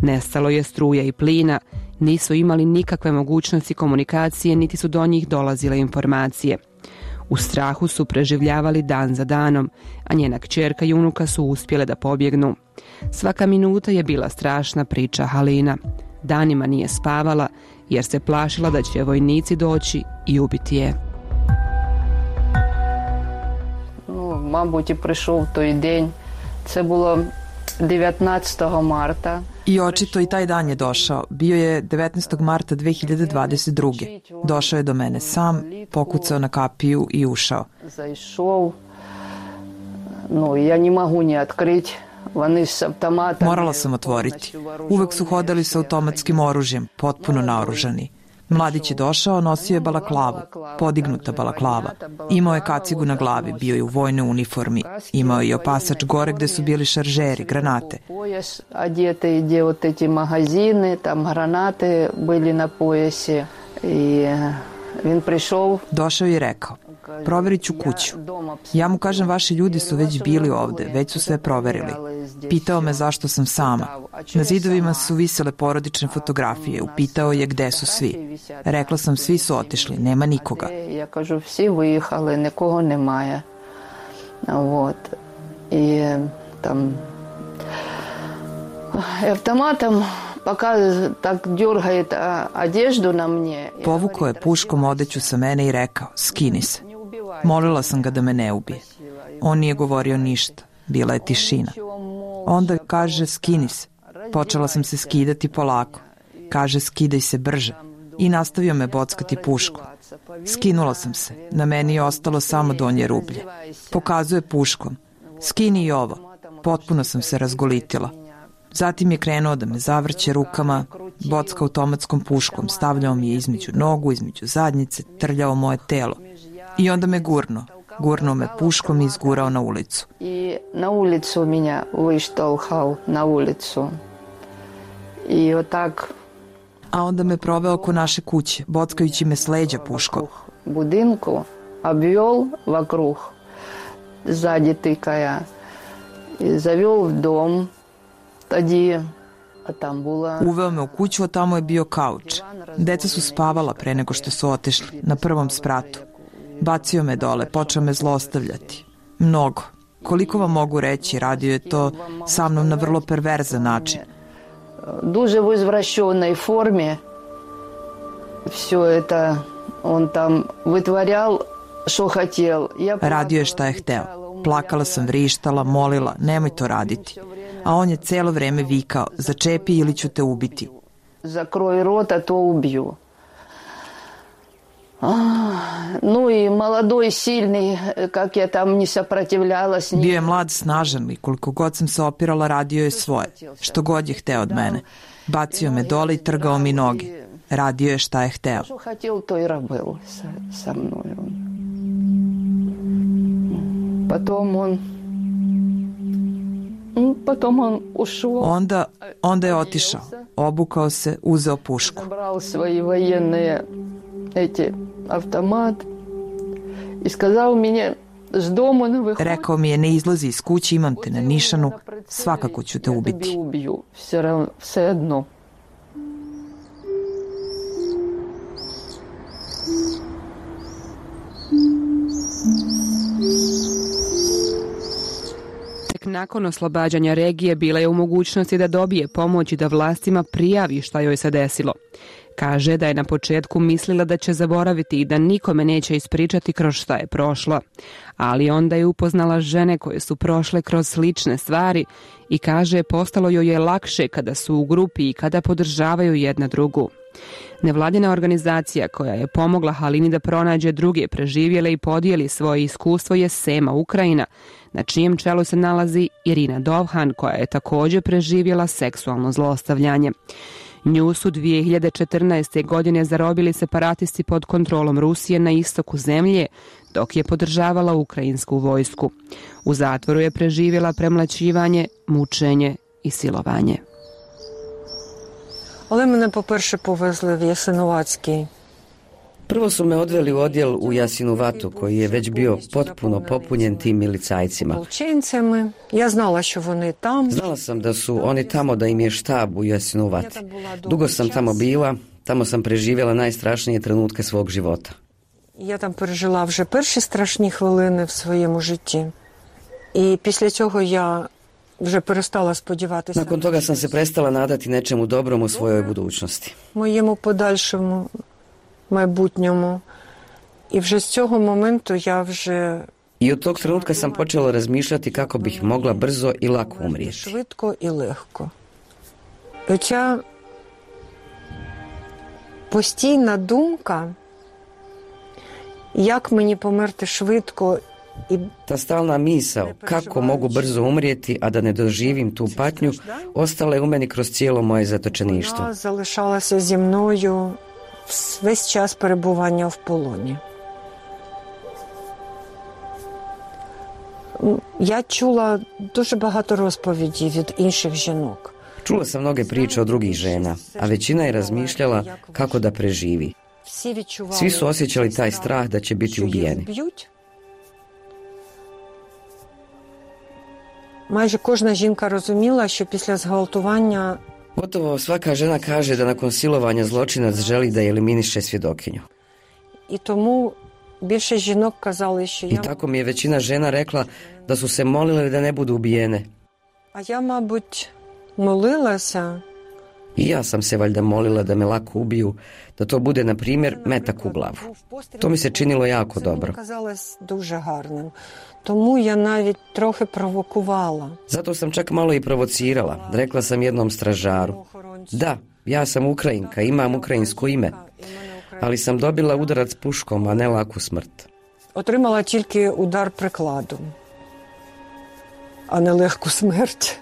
E: Nestalo je struje i plina, nisu imali nikakve mogućnosti komunikacije, niti su do njih dolazile informacije. U strahu su preživljavali dan za danom, a njena kćerka i unuka su uspjele da pobjegnu. Svaka minuta je bila strašna, priča Halina. Danima nije spavala jer se plašila da će vojnici doći i ubiti je.
W: Мабуть, і прийшов той день. Це було 19. marta.
X: I očito i taj dan je došao. Bio je 19. marta 2022. Došao je do mene sam, pokucao na kapiju i ušao.
W: Zaišao. No, ja ne mogu ni otkriti.
X: Morala sam otvoriti. Uvek su hodali sa automatskim oružjem, potpuno naoružani. Mladić je došao, nosio je balaklavu, podignuta balaklava. Imao je kacigu na glavi, bio je u vojnoj uniformi. Imao je i opasač gore gde su bili šaržeri, granate.
W: Одеты, где вот эти магазины, там гранаты были на поясе. И он пришел.
X: Došao je i rekao: proverit ću kuću. Ja mu kažem, vaši ljudi su već bili ovde, već su sve proverili. Pitao me zašto sam sama. Na zidovima su visele porodične fotografije. Upitao je gde su svi. Rekla sam, svi su otišli, nema nikoga.
W: Ja kažu, vsi vyjehali, nikogo nemaje. Вот. I tam автоматом пока так дергает одежду на мне.
X: Povukao je puškom odeću sa mene i rekao: skini se. Molila sam ga da me ne ubije. On nije govorio ništa. Bila je tišina. Onda kaže skini se. Počela sam se skidati polako. Kaže skidaj se brže. I nastavio me bockati puškom. Skinula sam se. Na meni je ostalo samo donje rublje. Pokazuje puškom. Skini i ovo. Potpuno sam se razgolitila. Zatim je krenuo da me zavrće rukama, bocka automatskom puškom, stavljao mi je između nogu, između zadnjice, trljao moje telo. I onda me gurnuo me puškom i izgurao na ulicu.
W: I na ulicu minja vyštolhal, na ulicu. I otak...
X: A onda me proveo oko naše kuće, bockajući me s leđa puškom.
W: Budinku obvjol vakruh, zadi tikaja. I zavjel v dom.
X: Uveo me u kuću, a tamo je bio kauč. Deca su spavala pre nego što su otišli, na prvom spratu. Bacio me dole, počeo me zlostavljati. Mnogo. Koliko vam mogu reći, radio je to sa mnom na vrlo perverzan način.
W: Duže u izvraćenoj formi. Все это on tam vytvarjal što htjel.
X: Radio je šta je hteo. Plakala sam, vrištala, molila, nemoj to raditi. A on je celo vreme vikao, začepi ili ću te ubiti.
W: Zakroj rota, to ubiju. No i mladoj, silni, kak je tam ni saprotivljala s njim.
X: Bio je mlad, snažan i koliko god sam se opirala, radio je svoje. Što god je hteo od mene. Bacio me dole i trgao mi noge. Radio je šta je hteo.
W: Što htjel, to i rabil sa mnom. Potom on ušao.
X: Onda je otišao, obukao se, uzeo pušku.
W: Nabral svoje vojene automat i skazao mi je s domu ne vyhodi.
X: Rekao mi je ne izlazi iz kuće, imam te na nišanu, svakako ću te ubiti.
W: Sve jedno.
E: Nakon oslobađanja regije bila je u mogućnosti da dobije pomoć i da vlastima prijavi šta joj se desilo. Kaže da je na početku mislila da će zaboraviti i da nikome neće ispričati kroz šta je prošla. Ali onda je upoznala žene koje su prošle kroz slične stvari i kaže postalo joj je lakše kada su u grupi i kada podržavaju jedna drugu. Nevladina organizacija koja je pomogla Halini da pronađe druge preživjele i podijeli svoje iskustvo je Sema Ukrajina, na čijem čelu se nalazi Irina Dovhan koja je također preživjela seksualno zlostavljanje. Nju su 2014. godine zarobili separatisti pod kontrolom Rusije na istoku zemlje, dok je podržavala ukrajinsku vojsku. U zatvoru je preživjela premlaćivanje, mučenje i silovanje.
F: Ali mene po-perše povezli v Jasenovatski.
G: Prvo su me odveli u odjel u Jasinovatu, koji je već bio potpuno popunjen tim milicajcima.
F: Ja znala što oni tam.
G: Znala sam da su oni tamo, da im je štab u Jasinovat. Dugo sam tamo bila, tamo sam preživjela najstrašnije trenutke svog života.
F: Я там пережила вже перші страшні хвилини в своєму житті. І після цього я вже перестала сподіватися.
G: Nakon toga sam se prestala nadati nečemu dobrom u svojoj budućnosti.
F: Моєму подальшому майбутньому. І вже з цього моменту я вже
G: I od tog trenutka sam počela razmišljati kako bih mogla brzo i lako umrijeti.
F: Швидко і легко. Оця постійна думка, як мені померти швидко i ta stalna misao kako mogu brzo umrijeti, a da ne doživim tu patnju, ostala je u meni kroz cijelo moje zatočeništvo. Вона залишалася зі мною весь час перебування в полоні. Я чула дуже багато розповідей від інших жінок.
G: Čula sam mnoge priče od drugih žena, a većina je razmišljala kako da preživi. Svi su osjećali taj strah da će biti ubijeni.
F: Майже кожна жінка розуміла, що після зґвалтування
G: Gotovo svaka žena kaže da nakon silovanja zločinac želi da eliminiše svjedokinju.
F: І тому більше жінок казали, що
G: I tako mi je većina žena rekla da su se molile da ne budu ubijene.
F: А я, мабуть, молилася. I ja sam se valjda molila da me lako ubiju, da to bude, na primjer, metak u glavu. To mi se činilo jako dobro.
W: Тому я навіть трохи провокувала.
F: Zato sam čak malo i provocirala. Rekla sam jednom stražaru: da, ja sam Ukrajinka, imam ukrajinsko ime, ali sam dobila udarac puškom, a ne laku smrt.
W: Отримала тільки удар прикладом, а не легку смерть.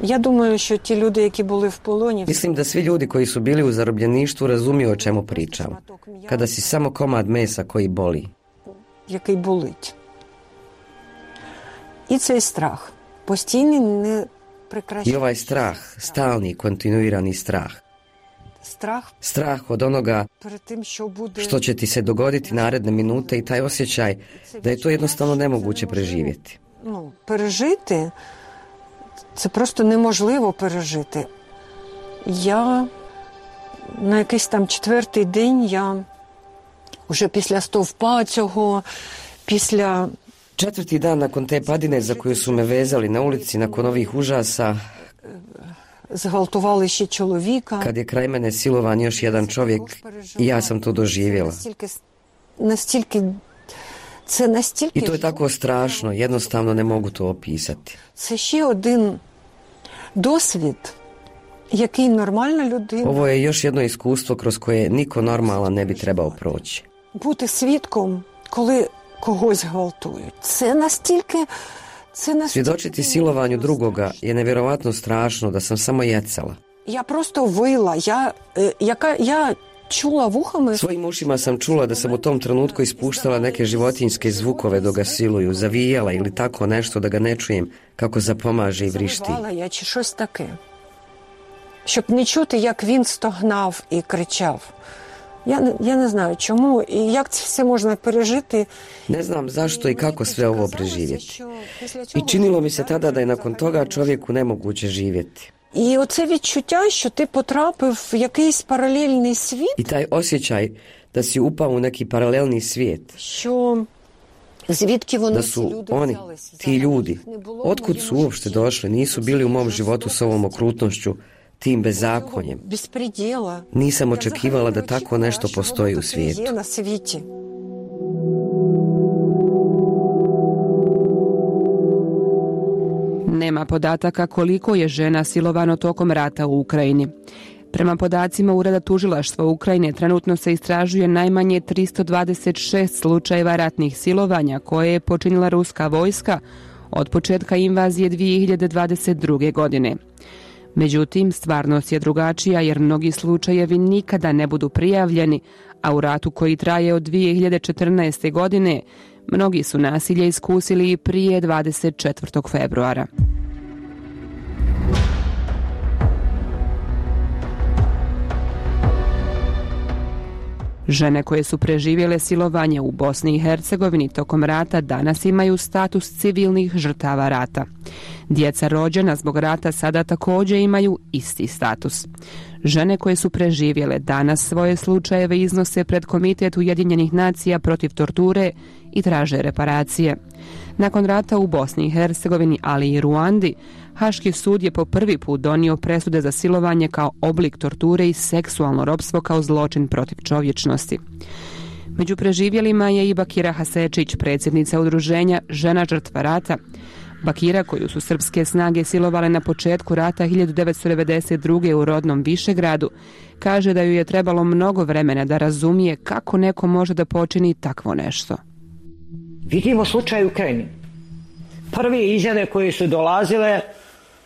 W: Ja думаю, що ті люди, які були в полоні...
F: Mislim da svi ljudi koji su bili u zarobljeništvu razumiju o čemu pričam. Kada si samo komad mesa koji boli.
W: Який болить. І цей страх. Постійний, не прекращаючий.
F: I ovaj strah, stalni, kontinuirani strah. Strah od onoga što će ti se dogoditi naredne minute i taj osjećaj da je to jednostavno nemoguće preživjeti.
W: Пережити це просто неможливо пережити. Я на якийсь там 4-й день, я уже після стовпа цього, після...
F: 4. dan nakon te padine za koju su me vezali na ulici, nakon ovih užasa,
W: zґвалтували ще чоловіка.
F: Kad je kraj mene silovan još jedan čovjek, i ja sam to doživjela. I to je tako strašno, jednostavno ne mogu to opisati.
W: Це ще один досвід, який нормальна людина...
F: Ovo je još jedno iskustvo kroz koje niko normalan ne bi trebao proći.
W: Бути свідком, коли когось гвалтують. Це настільки...
F: Svjedočiti silovanju drugoga je nevjerovatno strašno da sam samo jecala.
W: Ja prosto vila, ja čula vuhama...
F: Svojim ušima sam čula da sam u tom trenutku ispuštala neke životinjske zvukove dok ga siluju, zavijala ili tako nešto da ga ne čujem kako zapomaže i vrišti.
W: Завивала я чи щось таке, щоб не чути, як він стогнав і кричав. Я не знаю чому і як це все можна пережити.
F: Ne znam zašto i kako sve ovo preživjeti. I činilo mi se tada da je nakon toga čovjeku nemoguće živjeti.
W: І оце відчуття, що ти потрапив в якийсь паралельний світ.
F: I taj osjećaj da si upao u neki paralelni svijet.
W: Що звідки вони,
F: da su oni, ti ljudi, otkud su uopšte došli, nisu bili u mom životu s ovom okrutnošću, tim bezakonjem. Nisam očekivala da tako nešto postoji u svijetu.
E: Nema podataka koliko je žena silovano tokom rata u Ukrajini. Prema podacima Ureda tužilaštva Ukrajine trenutno se istražuje najmanje 326 slučajeva ratnih silovanja koje je počinila ruska vojska od početka invazije 2022. godine. Međutim, stvarnost je drugačija jer mnogi slučajevi nikada ne budu prijavljeni, a u ratu koji traje od 2014. godine mnogi su nasilje iskusili i prije 24. februara. Žene koje su preživjele silovanje u Bosni i Hercegovini tokom rata danas imaju status civilnih žrtava rata. Djeca rođena zbog rata sada također imaju isti status. Žene koje su preživjele danas svoje slučajeve iznose pred Komitet Ujedinjenih nacija protiv torture i traže reparacije. Nakon rata u Bosni i Hercegovini, ali i Ruandi, Haški sud je po prvi put donio presude za silovanje kao oblik torture i seksualno ropstvo kao zločin protiv čovječnosti. Među preživjelima je i Bakira Hasečić, predsjednica udruženja Žena žrtva rata. Bakira, koju su srpske snage silovale na početku rata 1992. u rodnom Višegradu, kaže da ju je trebalo mnogo vremena da razumije kako neko može da počini takvo nešto.
B: Vidimo slučaj u Ukrajini. Prve izjave koje su dolazile,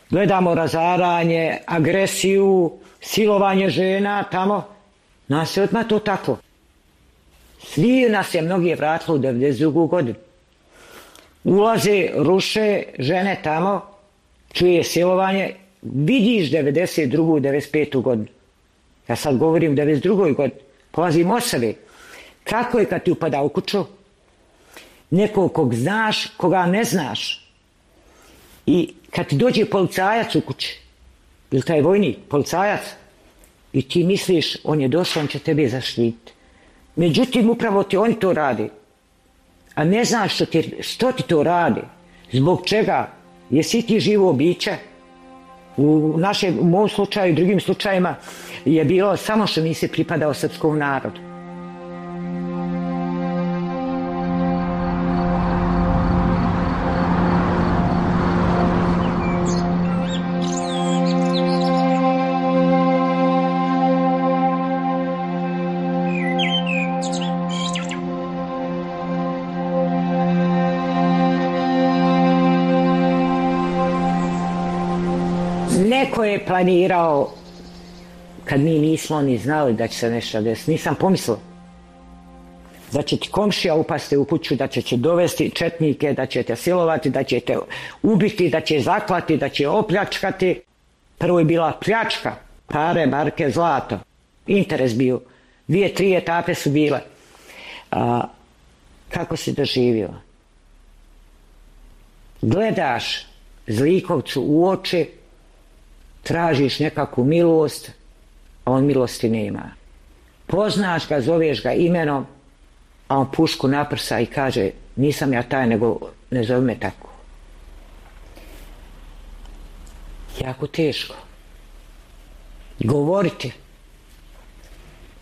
B: gledamo razaranje, agresiju, silovanje žena tamo. Nas je odmah to tako. Svi nas je mnogi vratilo u 92. godinu. Ulaze, ruše žene tamo, čuje silovanje, vidiš 92. 95. godinu. Ja sad govorim 92. godinu, polazim osobe. Kako je kad ti upada u kuću? Nekog kog znaš, koga ne znaš. I kad ti dođe policajac u kući, ili taj vojnik, policajac, i ti misliš, on je došao, on će tebe zaštititi. Međutim, upravo ti oni to radi. A ne znaš što ti to radi. Zbog čega? Jesi ti živo biće? U mom slučaju i drugim slučajima je bilo samo što nisi pripadao srpskom narodu. Neko je planirao, kad mi nismo ni znali da će se nešto desiti, nisam pomislila da će ti komšija upasti u kuću, da će dovesti četnike, da će te silovati, da će te ubiti, da će zaklati, da će opljačkati. Prvo je bila pljačka, pare, marke, zlato. Interes bio. 2-3 etape su bile. Kako si doživio? Gledaš zlikovcu u oči, tražiš nekakvu milost, a on milosti nema. Poznaš ga, zoveš ga imenom, a on pušku naprsa i kaže, nisam ja taj, nego ne zove me tako. Jako teško govoriti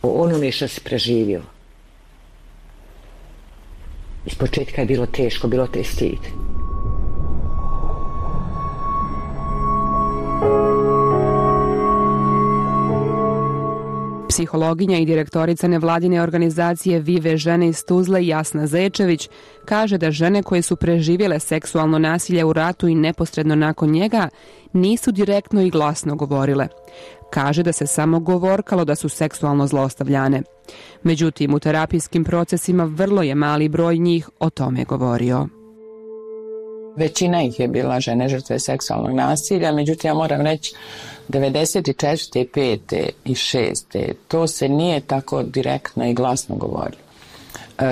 B: o onome što si preživio. Iz početka je bilo teško, bilo te stid.
E: Psihologinja i direktorica nevladine organizacije Vive žene iz Tuzle Jasna Zečević kaže da žene koje su preživjele seksualno nasilje u ratu i neposredno nakon njega nisu direktno i glasno govorile. Kaže da se samo govorkalo da su seksualno zlostavljane. Međutim, u terapijskim procesima vrlo je mali broj njih o tome govorio.
H: Većina ih je bila žene žrtve seksualnog nasilja, međutim ja moram reći 94. 5. i 6. to se nije tako direktno i glasno govorilo.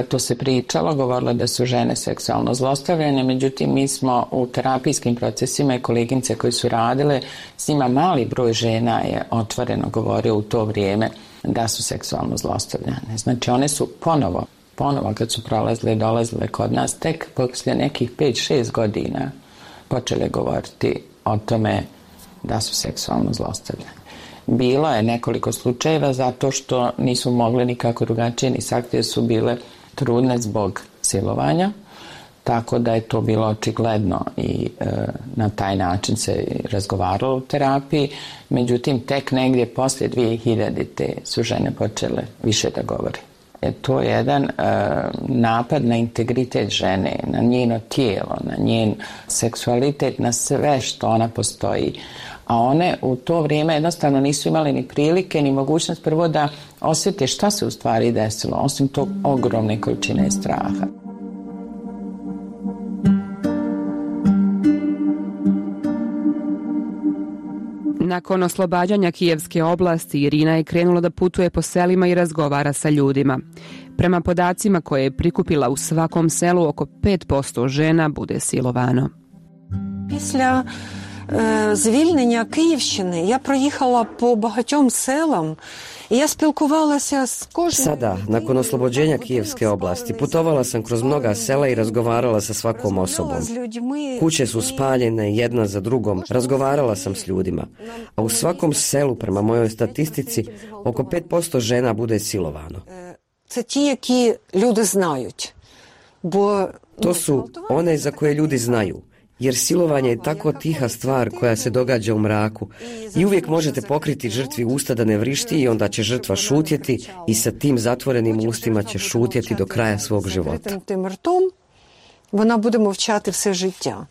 H: To se pričalo, govorilo da su žene seksualno zlostavljane, međutim mi smo u terapijskim procesima i koleginice koji su radile, s njima mali broj žena je otvoreno govorio u to vrijeme da su seksualno zlostavljane. Znači one su ponovo kad su prolazile i dolazile kod nas, tek poslije nekih 5-6 godina počele govoriti o tome da su seksualno zlostavljane. Bilo je nekoliko slučajeva zato što nisu mogli nikako drugačije ni sakriti, su bile trudne zbog silovanja, tako da je to bilo očigledno i na taj način se razgovaralo u terapiji. Međutim, tek negdje poslije 2000. su žene počele više da govore. To je jedan napad na integritet žene, na njeno tijelo, na njen seksualitet, na sve što ona postoji. A one u to vrijeme jednostavno nisu imali ni prilike, ni mogućnost prvo da osjete šta se u stvari desilo, osim tog ogromne količine straha.
E: Nakon oslobađanja Kijevske oblasti, Irina je krenula da putuje po selima i razgovara sa ljudima. Prema podacima koje je prikupila, u svakom selu oko 5% žena bude silovano.
W: Після звільнення Київщини я проїхала по багатьом селам.
F: Sada, nakon oslobođenja Kijevske oblasti, putovala sam kroz mnoga sela i razgovarala sa svakom osobom. Kuće su spaljene jedna za drugom, razgovarala sam s ljudima. A u svakom selu, prema mojoj statistici, oko 5% žena bude silovano. To su one za koje ljudi znaju. Jer silovanje je tako tiha stvar koja se događa u mraku i uvijek možete pokriti žrtvi usta da ne vrišti i onda će žrtva šutjeti i sa tim zatvorenim ustima će šutjeti do kraja svog života.
W: Вона буде мовчати все життя.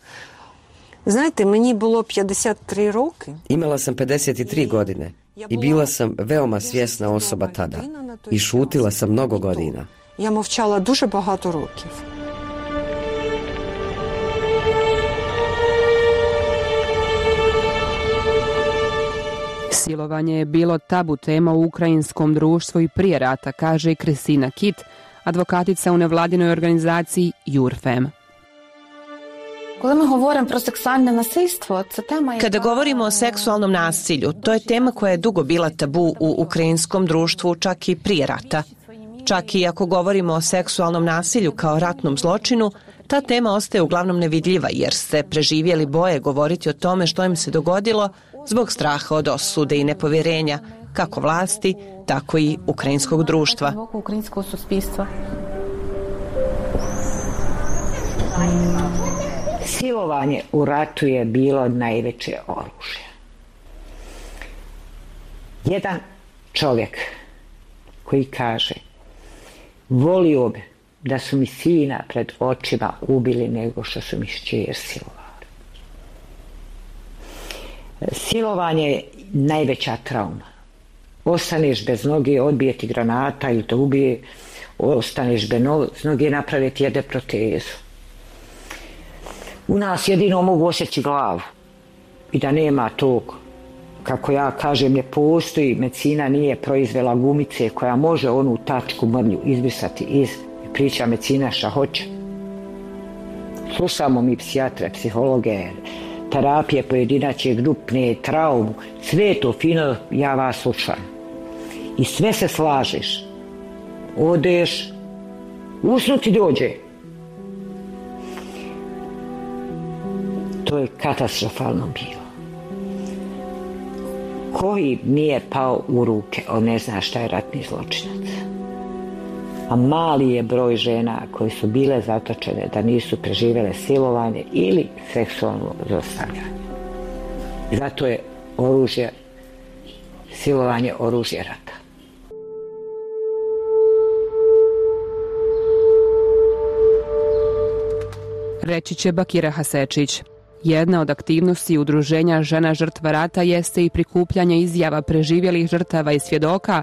W: Знаєте, мені було 53 роки.
F: Imala sam 53 godine i bila sam veoma svjesna osoba tada i šutila sam mnogo godina.
W: Я мовчала дуже багато років.
E: Silovanje je bilo tabu tema u ukrajinskom društvu i prije rata, kaže i Kristina Kit, advokatica u nevladinoj organizaciji Jurfem.
I: Kada govorimo o seksualnom nasilju, to je tema koja je dugo bila tabu u ukrajinskom društvu, čak i prije rata. Čak i ako govorimo o seksualnom nasilju kao ratnom zločinu, ta tema ostaje uglavnom nevidljiva jer ste preživjeli boje govoriti o tome što im se dogodilo, zbog straha od osude i nepovjerenja kako vlasti, tako i ukrajinskog društva.
B: Silovanje u ratu je bilo najveće oružje. Jedan čovjek koji kaže: volio bi da su mi sina pred očima ubili nego što su mi kćer silovali. Silovanje je najveća trauma. Ostaneš bez noge, odbije ti granata ili te ubije, ostaneš bez noge, naprave ti jede protezu. U nas jedino mogu osjeći glavu i da nema tog, kako ja kažem, ne postoji, medicina nije proizvela gumice koja može onu tačku mrlju izbrisati iz, priča medicina šta hoće. Slušamo mi psihijatre, psihologe, terapije pojedinačne, grupne, traumu, sve to fino, ja vas slušam. I sve se slažeš. Odeš, usnuti dođe. To je katastrofalno bilo. Koji nije pao u ruke, on ne zna šta je ratni zločinac. A mali je broj žena koji su bile zatočene da nisu preživjele silovanje ili seksualno zlostavljanje. Zato je silovanje oružje rata.
E: Reći će Bakira Hasečić. Jedna od aktivnosti udruženja žena žrtva rata jeste i prikupljanje izjava preživjelih žrtava i svjedoka,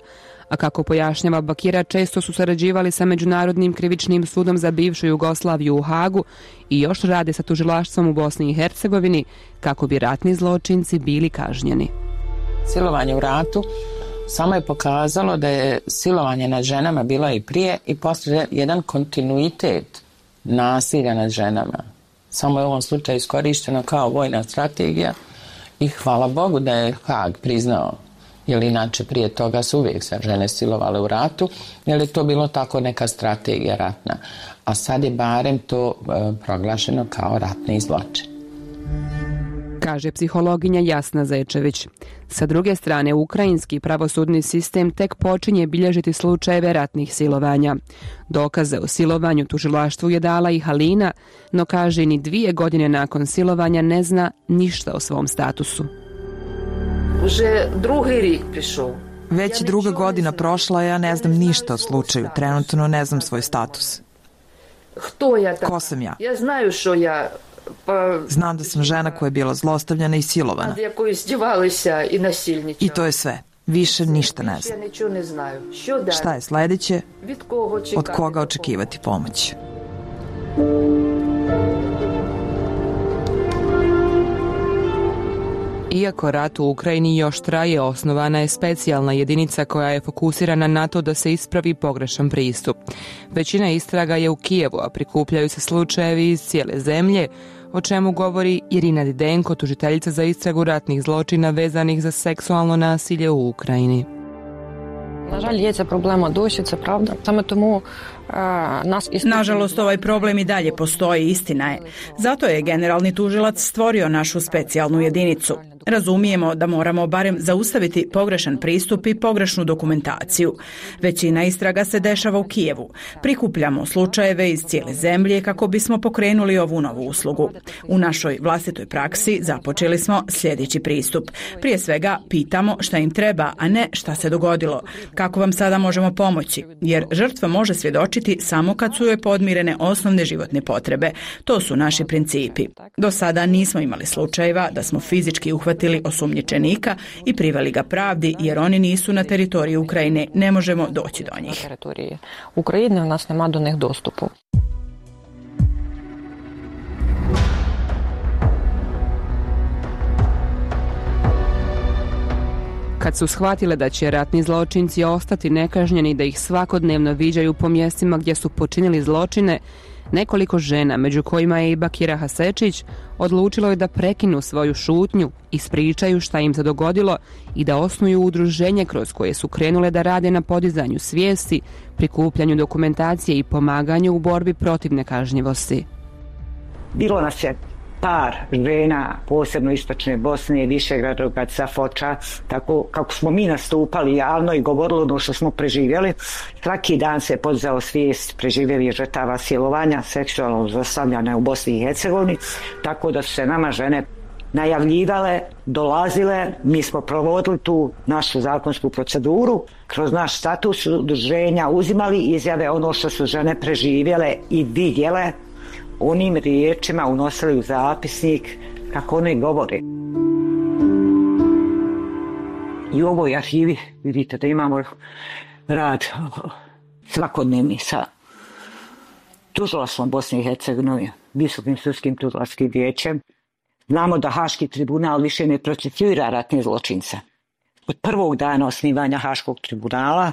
E: a kako pojašnjava Bakira, često su sarađivali sa Međunarodnim krivičnim sudom za bivšu Jugoslaviju u Hagu i još rade sa tužilaštvom u Bosni i Hercegovini kako bi ratni zločinci bili kažnjeni.
H: Silovanje u ratu samo je pokazalo da je silovanje nad ženama bilo i prije i poslije jedan kontinuitet nasilja nad ženama. Samo je u ovom slučaju iskorišteno kao vojna strategija i hvala Bogu da je Hag priznao, jer inače prije toga su uvijek se žene silovale u ratu, jer je to bilo tako neka strategija ratna. A sad je barem to proglašeno kao ratni zločin.
E: Kaže psihologinja Jasna Zečević. Sa druge strane, ukrajinski pravosudni sistem tek počinje bilježiti slučajeve ratnih silovanja. Dokaze o silovanju tužilaštvu je dala i Halina, no kaže ni 2 godine nakon silovanja ne zna ništa o svom statusu.
X: Već 2. godina prošla, ja ne znam ništa o slučaju. Trenutno ne znam svoj status. Ko sam ja? Znam da sam žena koja je bila zlostavljana i silovana. I to je sve. Više ništa ne znam. Šta je sljedeće? Od koga očekivati pomoć?
E: Iako rat u Ukrajini još traje, osnovana je specijalna jedinica koja je fokusirana na to da se ispravi pogrešan pristup. Većina istraga je u Kijevu, a prikupljaju se slučajevi iz cijele zemlje, o čemu govori Irina Didenko, tužiteljica za istragu ratnih zločina vezanih za seksualno nasilje u Ukrajini.
J: Nažalost, ovaj problem i dalje postoji, istina je. Zato je generalni tužilac stvorio našu specijalnu jedinicu. Razumijemo da moramo barem zaustaviti pogrešan pristup i pogrešnu dokumentaciju. Većina istraga se dešava u Kijevu. Prikupljamo slučajeve iz cijele zemlje kako bismo pokrenuli ovu novu uslugu. U našoj vlastitoj praksi započeli smo sljedeći pristup. Prije svega pitamo šta im treba, a ne šta se dogodilo. Kako vam sada možemo pomoći? Jer žrtva može svjedočiti samo kad su joj podmirene osnovne životne potrebe. To su naši principi. Do sada nismo imali slučajeva da smo fizički uhvatili osumnjičenika i priveli ga pravdi, jer oni nisu na teritoriji Ukrajine, ne možemo doći do njih.
W: Ukrajine u nas nema do njih dostupu.
E: Kad su shvatile da će ratni zločinci ostati nekažnjeni, da ih svakodnevno viđaju po mjestima gdje su počinili zločine, nekoliko žena, među kojima je i Bakira Hasečić, odlučilo je da prekinu svoju šutnju, ispričaju šta im se dogodilo i da osnuju udruženje kroz koje su krenule da rade na podizanju svijesti, prikupljanju dokumentacije i pomaganju u borbi protiv nekažnjivosti.
B: Bilo nas je par žena, posebno istočne Bosne, Višegrada, Foča, tako kako smo mi nastupali javno i govorili ono što smo preživjeli, svaki dan se podizao svijest preživjelih žrtava silovanja, seksualnog zlostavljanja u Bosni i Hercegovini, tako da su se nama žene najavljivale, dolazile, mi smo provodili tu našu zakonsku proceduru, kroz naš status udruženja uzimali izjave ono što su žene preživjele i vidjele, onim riječima unosili u zapisnik kako one govore. I u ovoj arhivi vidite da imamo rad svakodnevni sa tužilaštvom Bosne i Hercegovine, Visokim sudskim tužilačkim vijećem. Znamo da Haški tribunal više ne procesuira ratne zločince. Od prvog dana osnivanja Haškog tribunala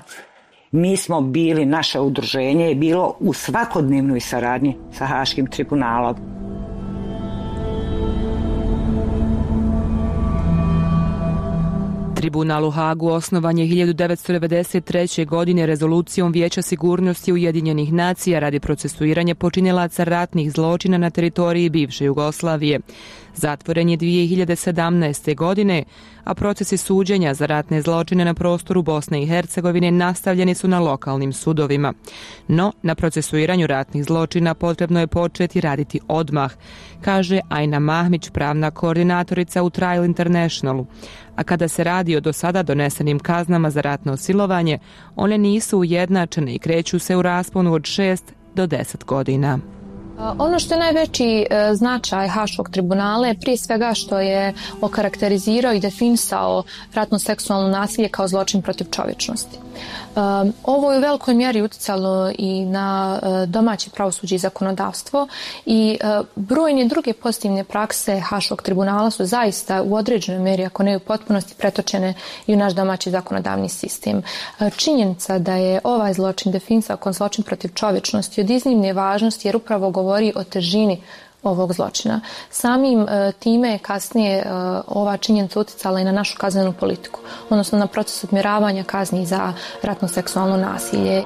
B: mi smo bili, naše udruženje je bilo u svakodnevnoj saradnji sa Haškim tribunalom.
E: Tribunal u Hagu osnovan je 1993. godine rezolucijom Vijeća sigurnosti Ujedinjenih nacija radi procesuiranja počinilaca ratnih zločina na teritoriji bivše Jugoslavije. Zatvoren je 2017. godine, a procesi suđenja za ratne zločine na prostoru Bosne i Hercegovine nastavljeni su na lokalnim sudovima. No, na procesuiranju ratnih zločina potrebno je početi raditi odmah, kaže Ajna Mahmić, pravna koordinatorica u Trial Internationalu. A kada se radi o do sada donesenim kaznama za ratno silovanje, one nisu ujednačene i kreću se u rasponu od 6 do 10 godina.
L: Ono što je najveći značaj Haškog tribunala je prije svega što je okarakterizirao i definisao ratno seksualno nasilje kao zločin protiv čovječnosti. Ovo je u velikoj mjeri utjecalo i na domaće pravosuđe i zakonodavstvo i brojne druge pozitivne prakse Haškog tribunala su zaista u određenoj mjeri, ako ne u potpunosti, pretočene i u naš domaći zakonodavni sistem. Činjenica da je ovaj zločin definisao kao zločin protiv čovječnosti od iznimne važnosti jer upravo govori o težini ovog zločina. Samim time je kasnije ova činjenica utjecala i na našu kaznenu politiku, odnosno na proces odmjeravanja kazni za ratno seksualno nasilje.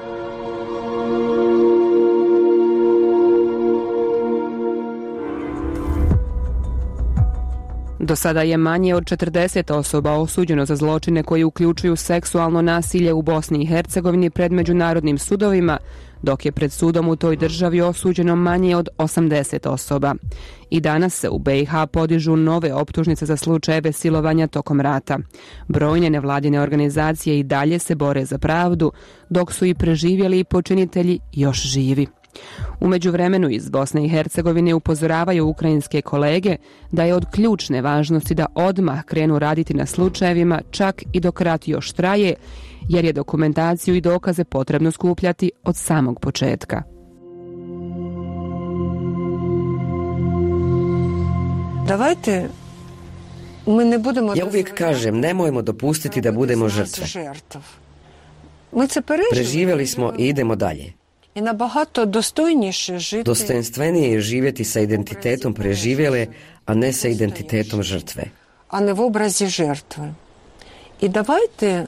E: Do sada je manje od 40 osoba osuđeno za zločine koji uključuju seksualno nasilje u Bosni i Hercegovini pred međunarodnim sudovima, dok je pred sudom u toj državi osuđeno manje od 80 osoba. I danas se u BiH podižu nove optužnice za slučajeve silovanja tokom rata. Brojne nevladine organizacije i dalje se bore za pravdu, dok su i preživjeli i počinitelji još živi. U međuvremenu iz Bosne i Hercegovine upozoravaju ukrajinske kolege da je od ključne važnosti da odmah krenu raditi na slučajevima čak i dok rat još traje, jer je dokumentaciju i dokaze potrebno skupljati od samog početka.
W: Davajte, mi ne budemo...
F: Ja uvijek kažem, nemojmo dopustiti da budemo žrtve. Preživjeli smo i idemo dalje. Dostojanstvenije je živjeti sa identitetom preživjele, a ne sa identitetom žrtve.
W: A ne v obrazi žrtve. I davajte,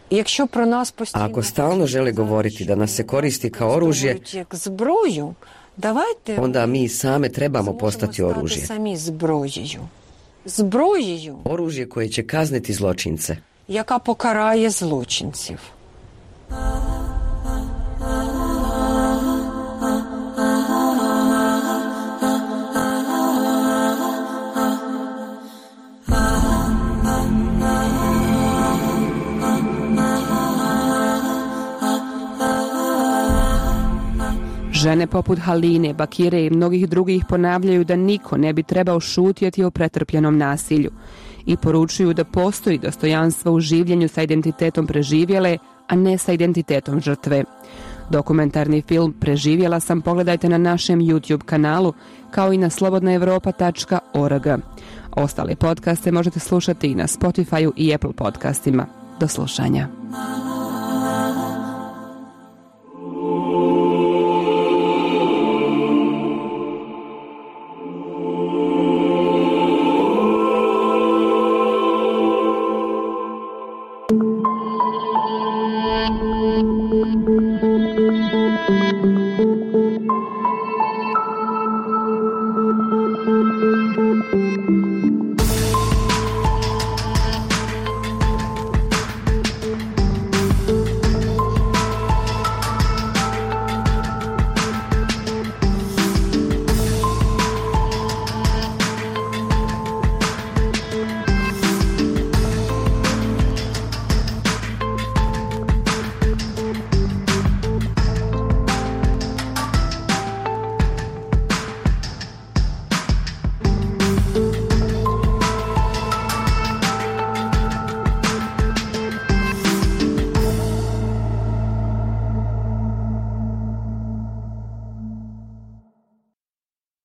W: якщо про нас
F: A ako stalno žele govoriti da nas se koristi kao oružje, onda mi same trebamo postati oružje. Oružje koje će kazniti zločince.
W: Яка покарає злочинців.
E: Žene poput Haline, Bakire i mnogih drugih ponavljaju da niko ne bi trebao šutjeti o pretrpljenom nasilju i poručuju da postoji dostojanstvo u življenju sa identitetom preživjele, a ne sa identitetom žrtve. Dokumentarni film Preživjela sam pogledajte na našem YouTube kanalu, kao i na slobodnaevropa.org. Ostale podcaste možete slušati i na Spotify i Apple podcastima. Do slušanja.
M: Thank you.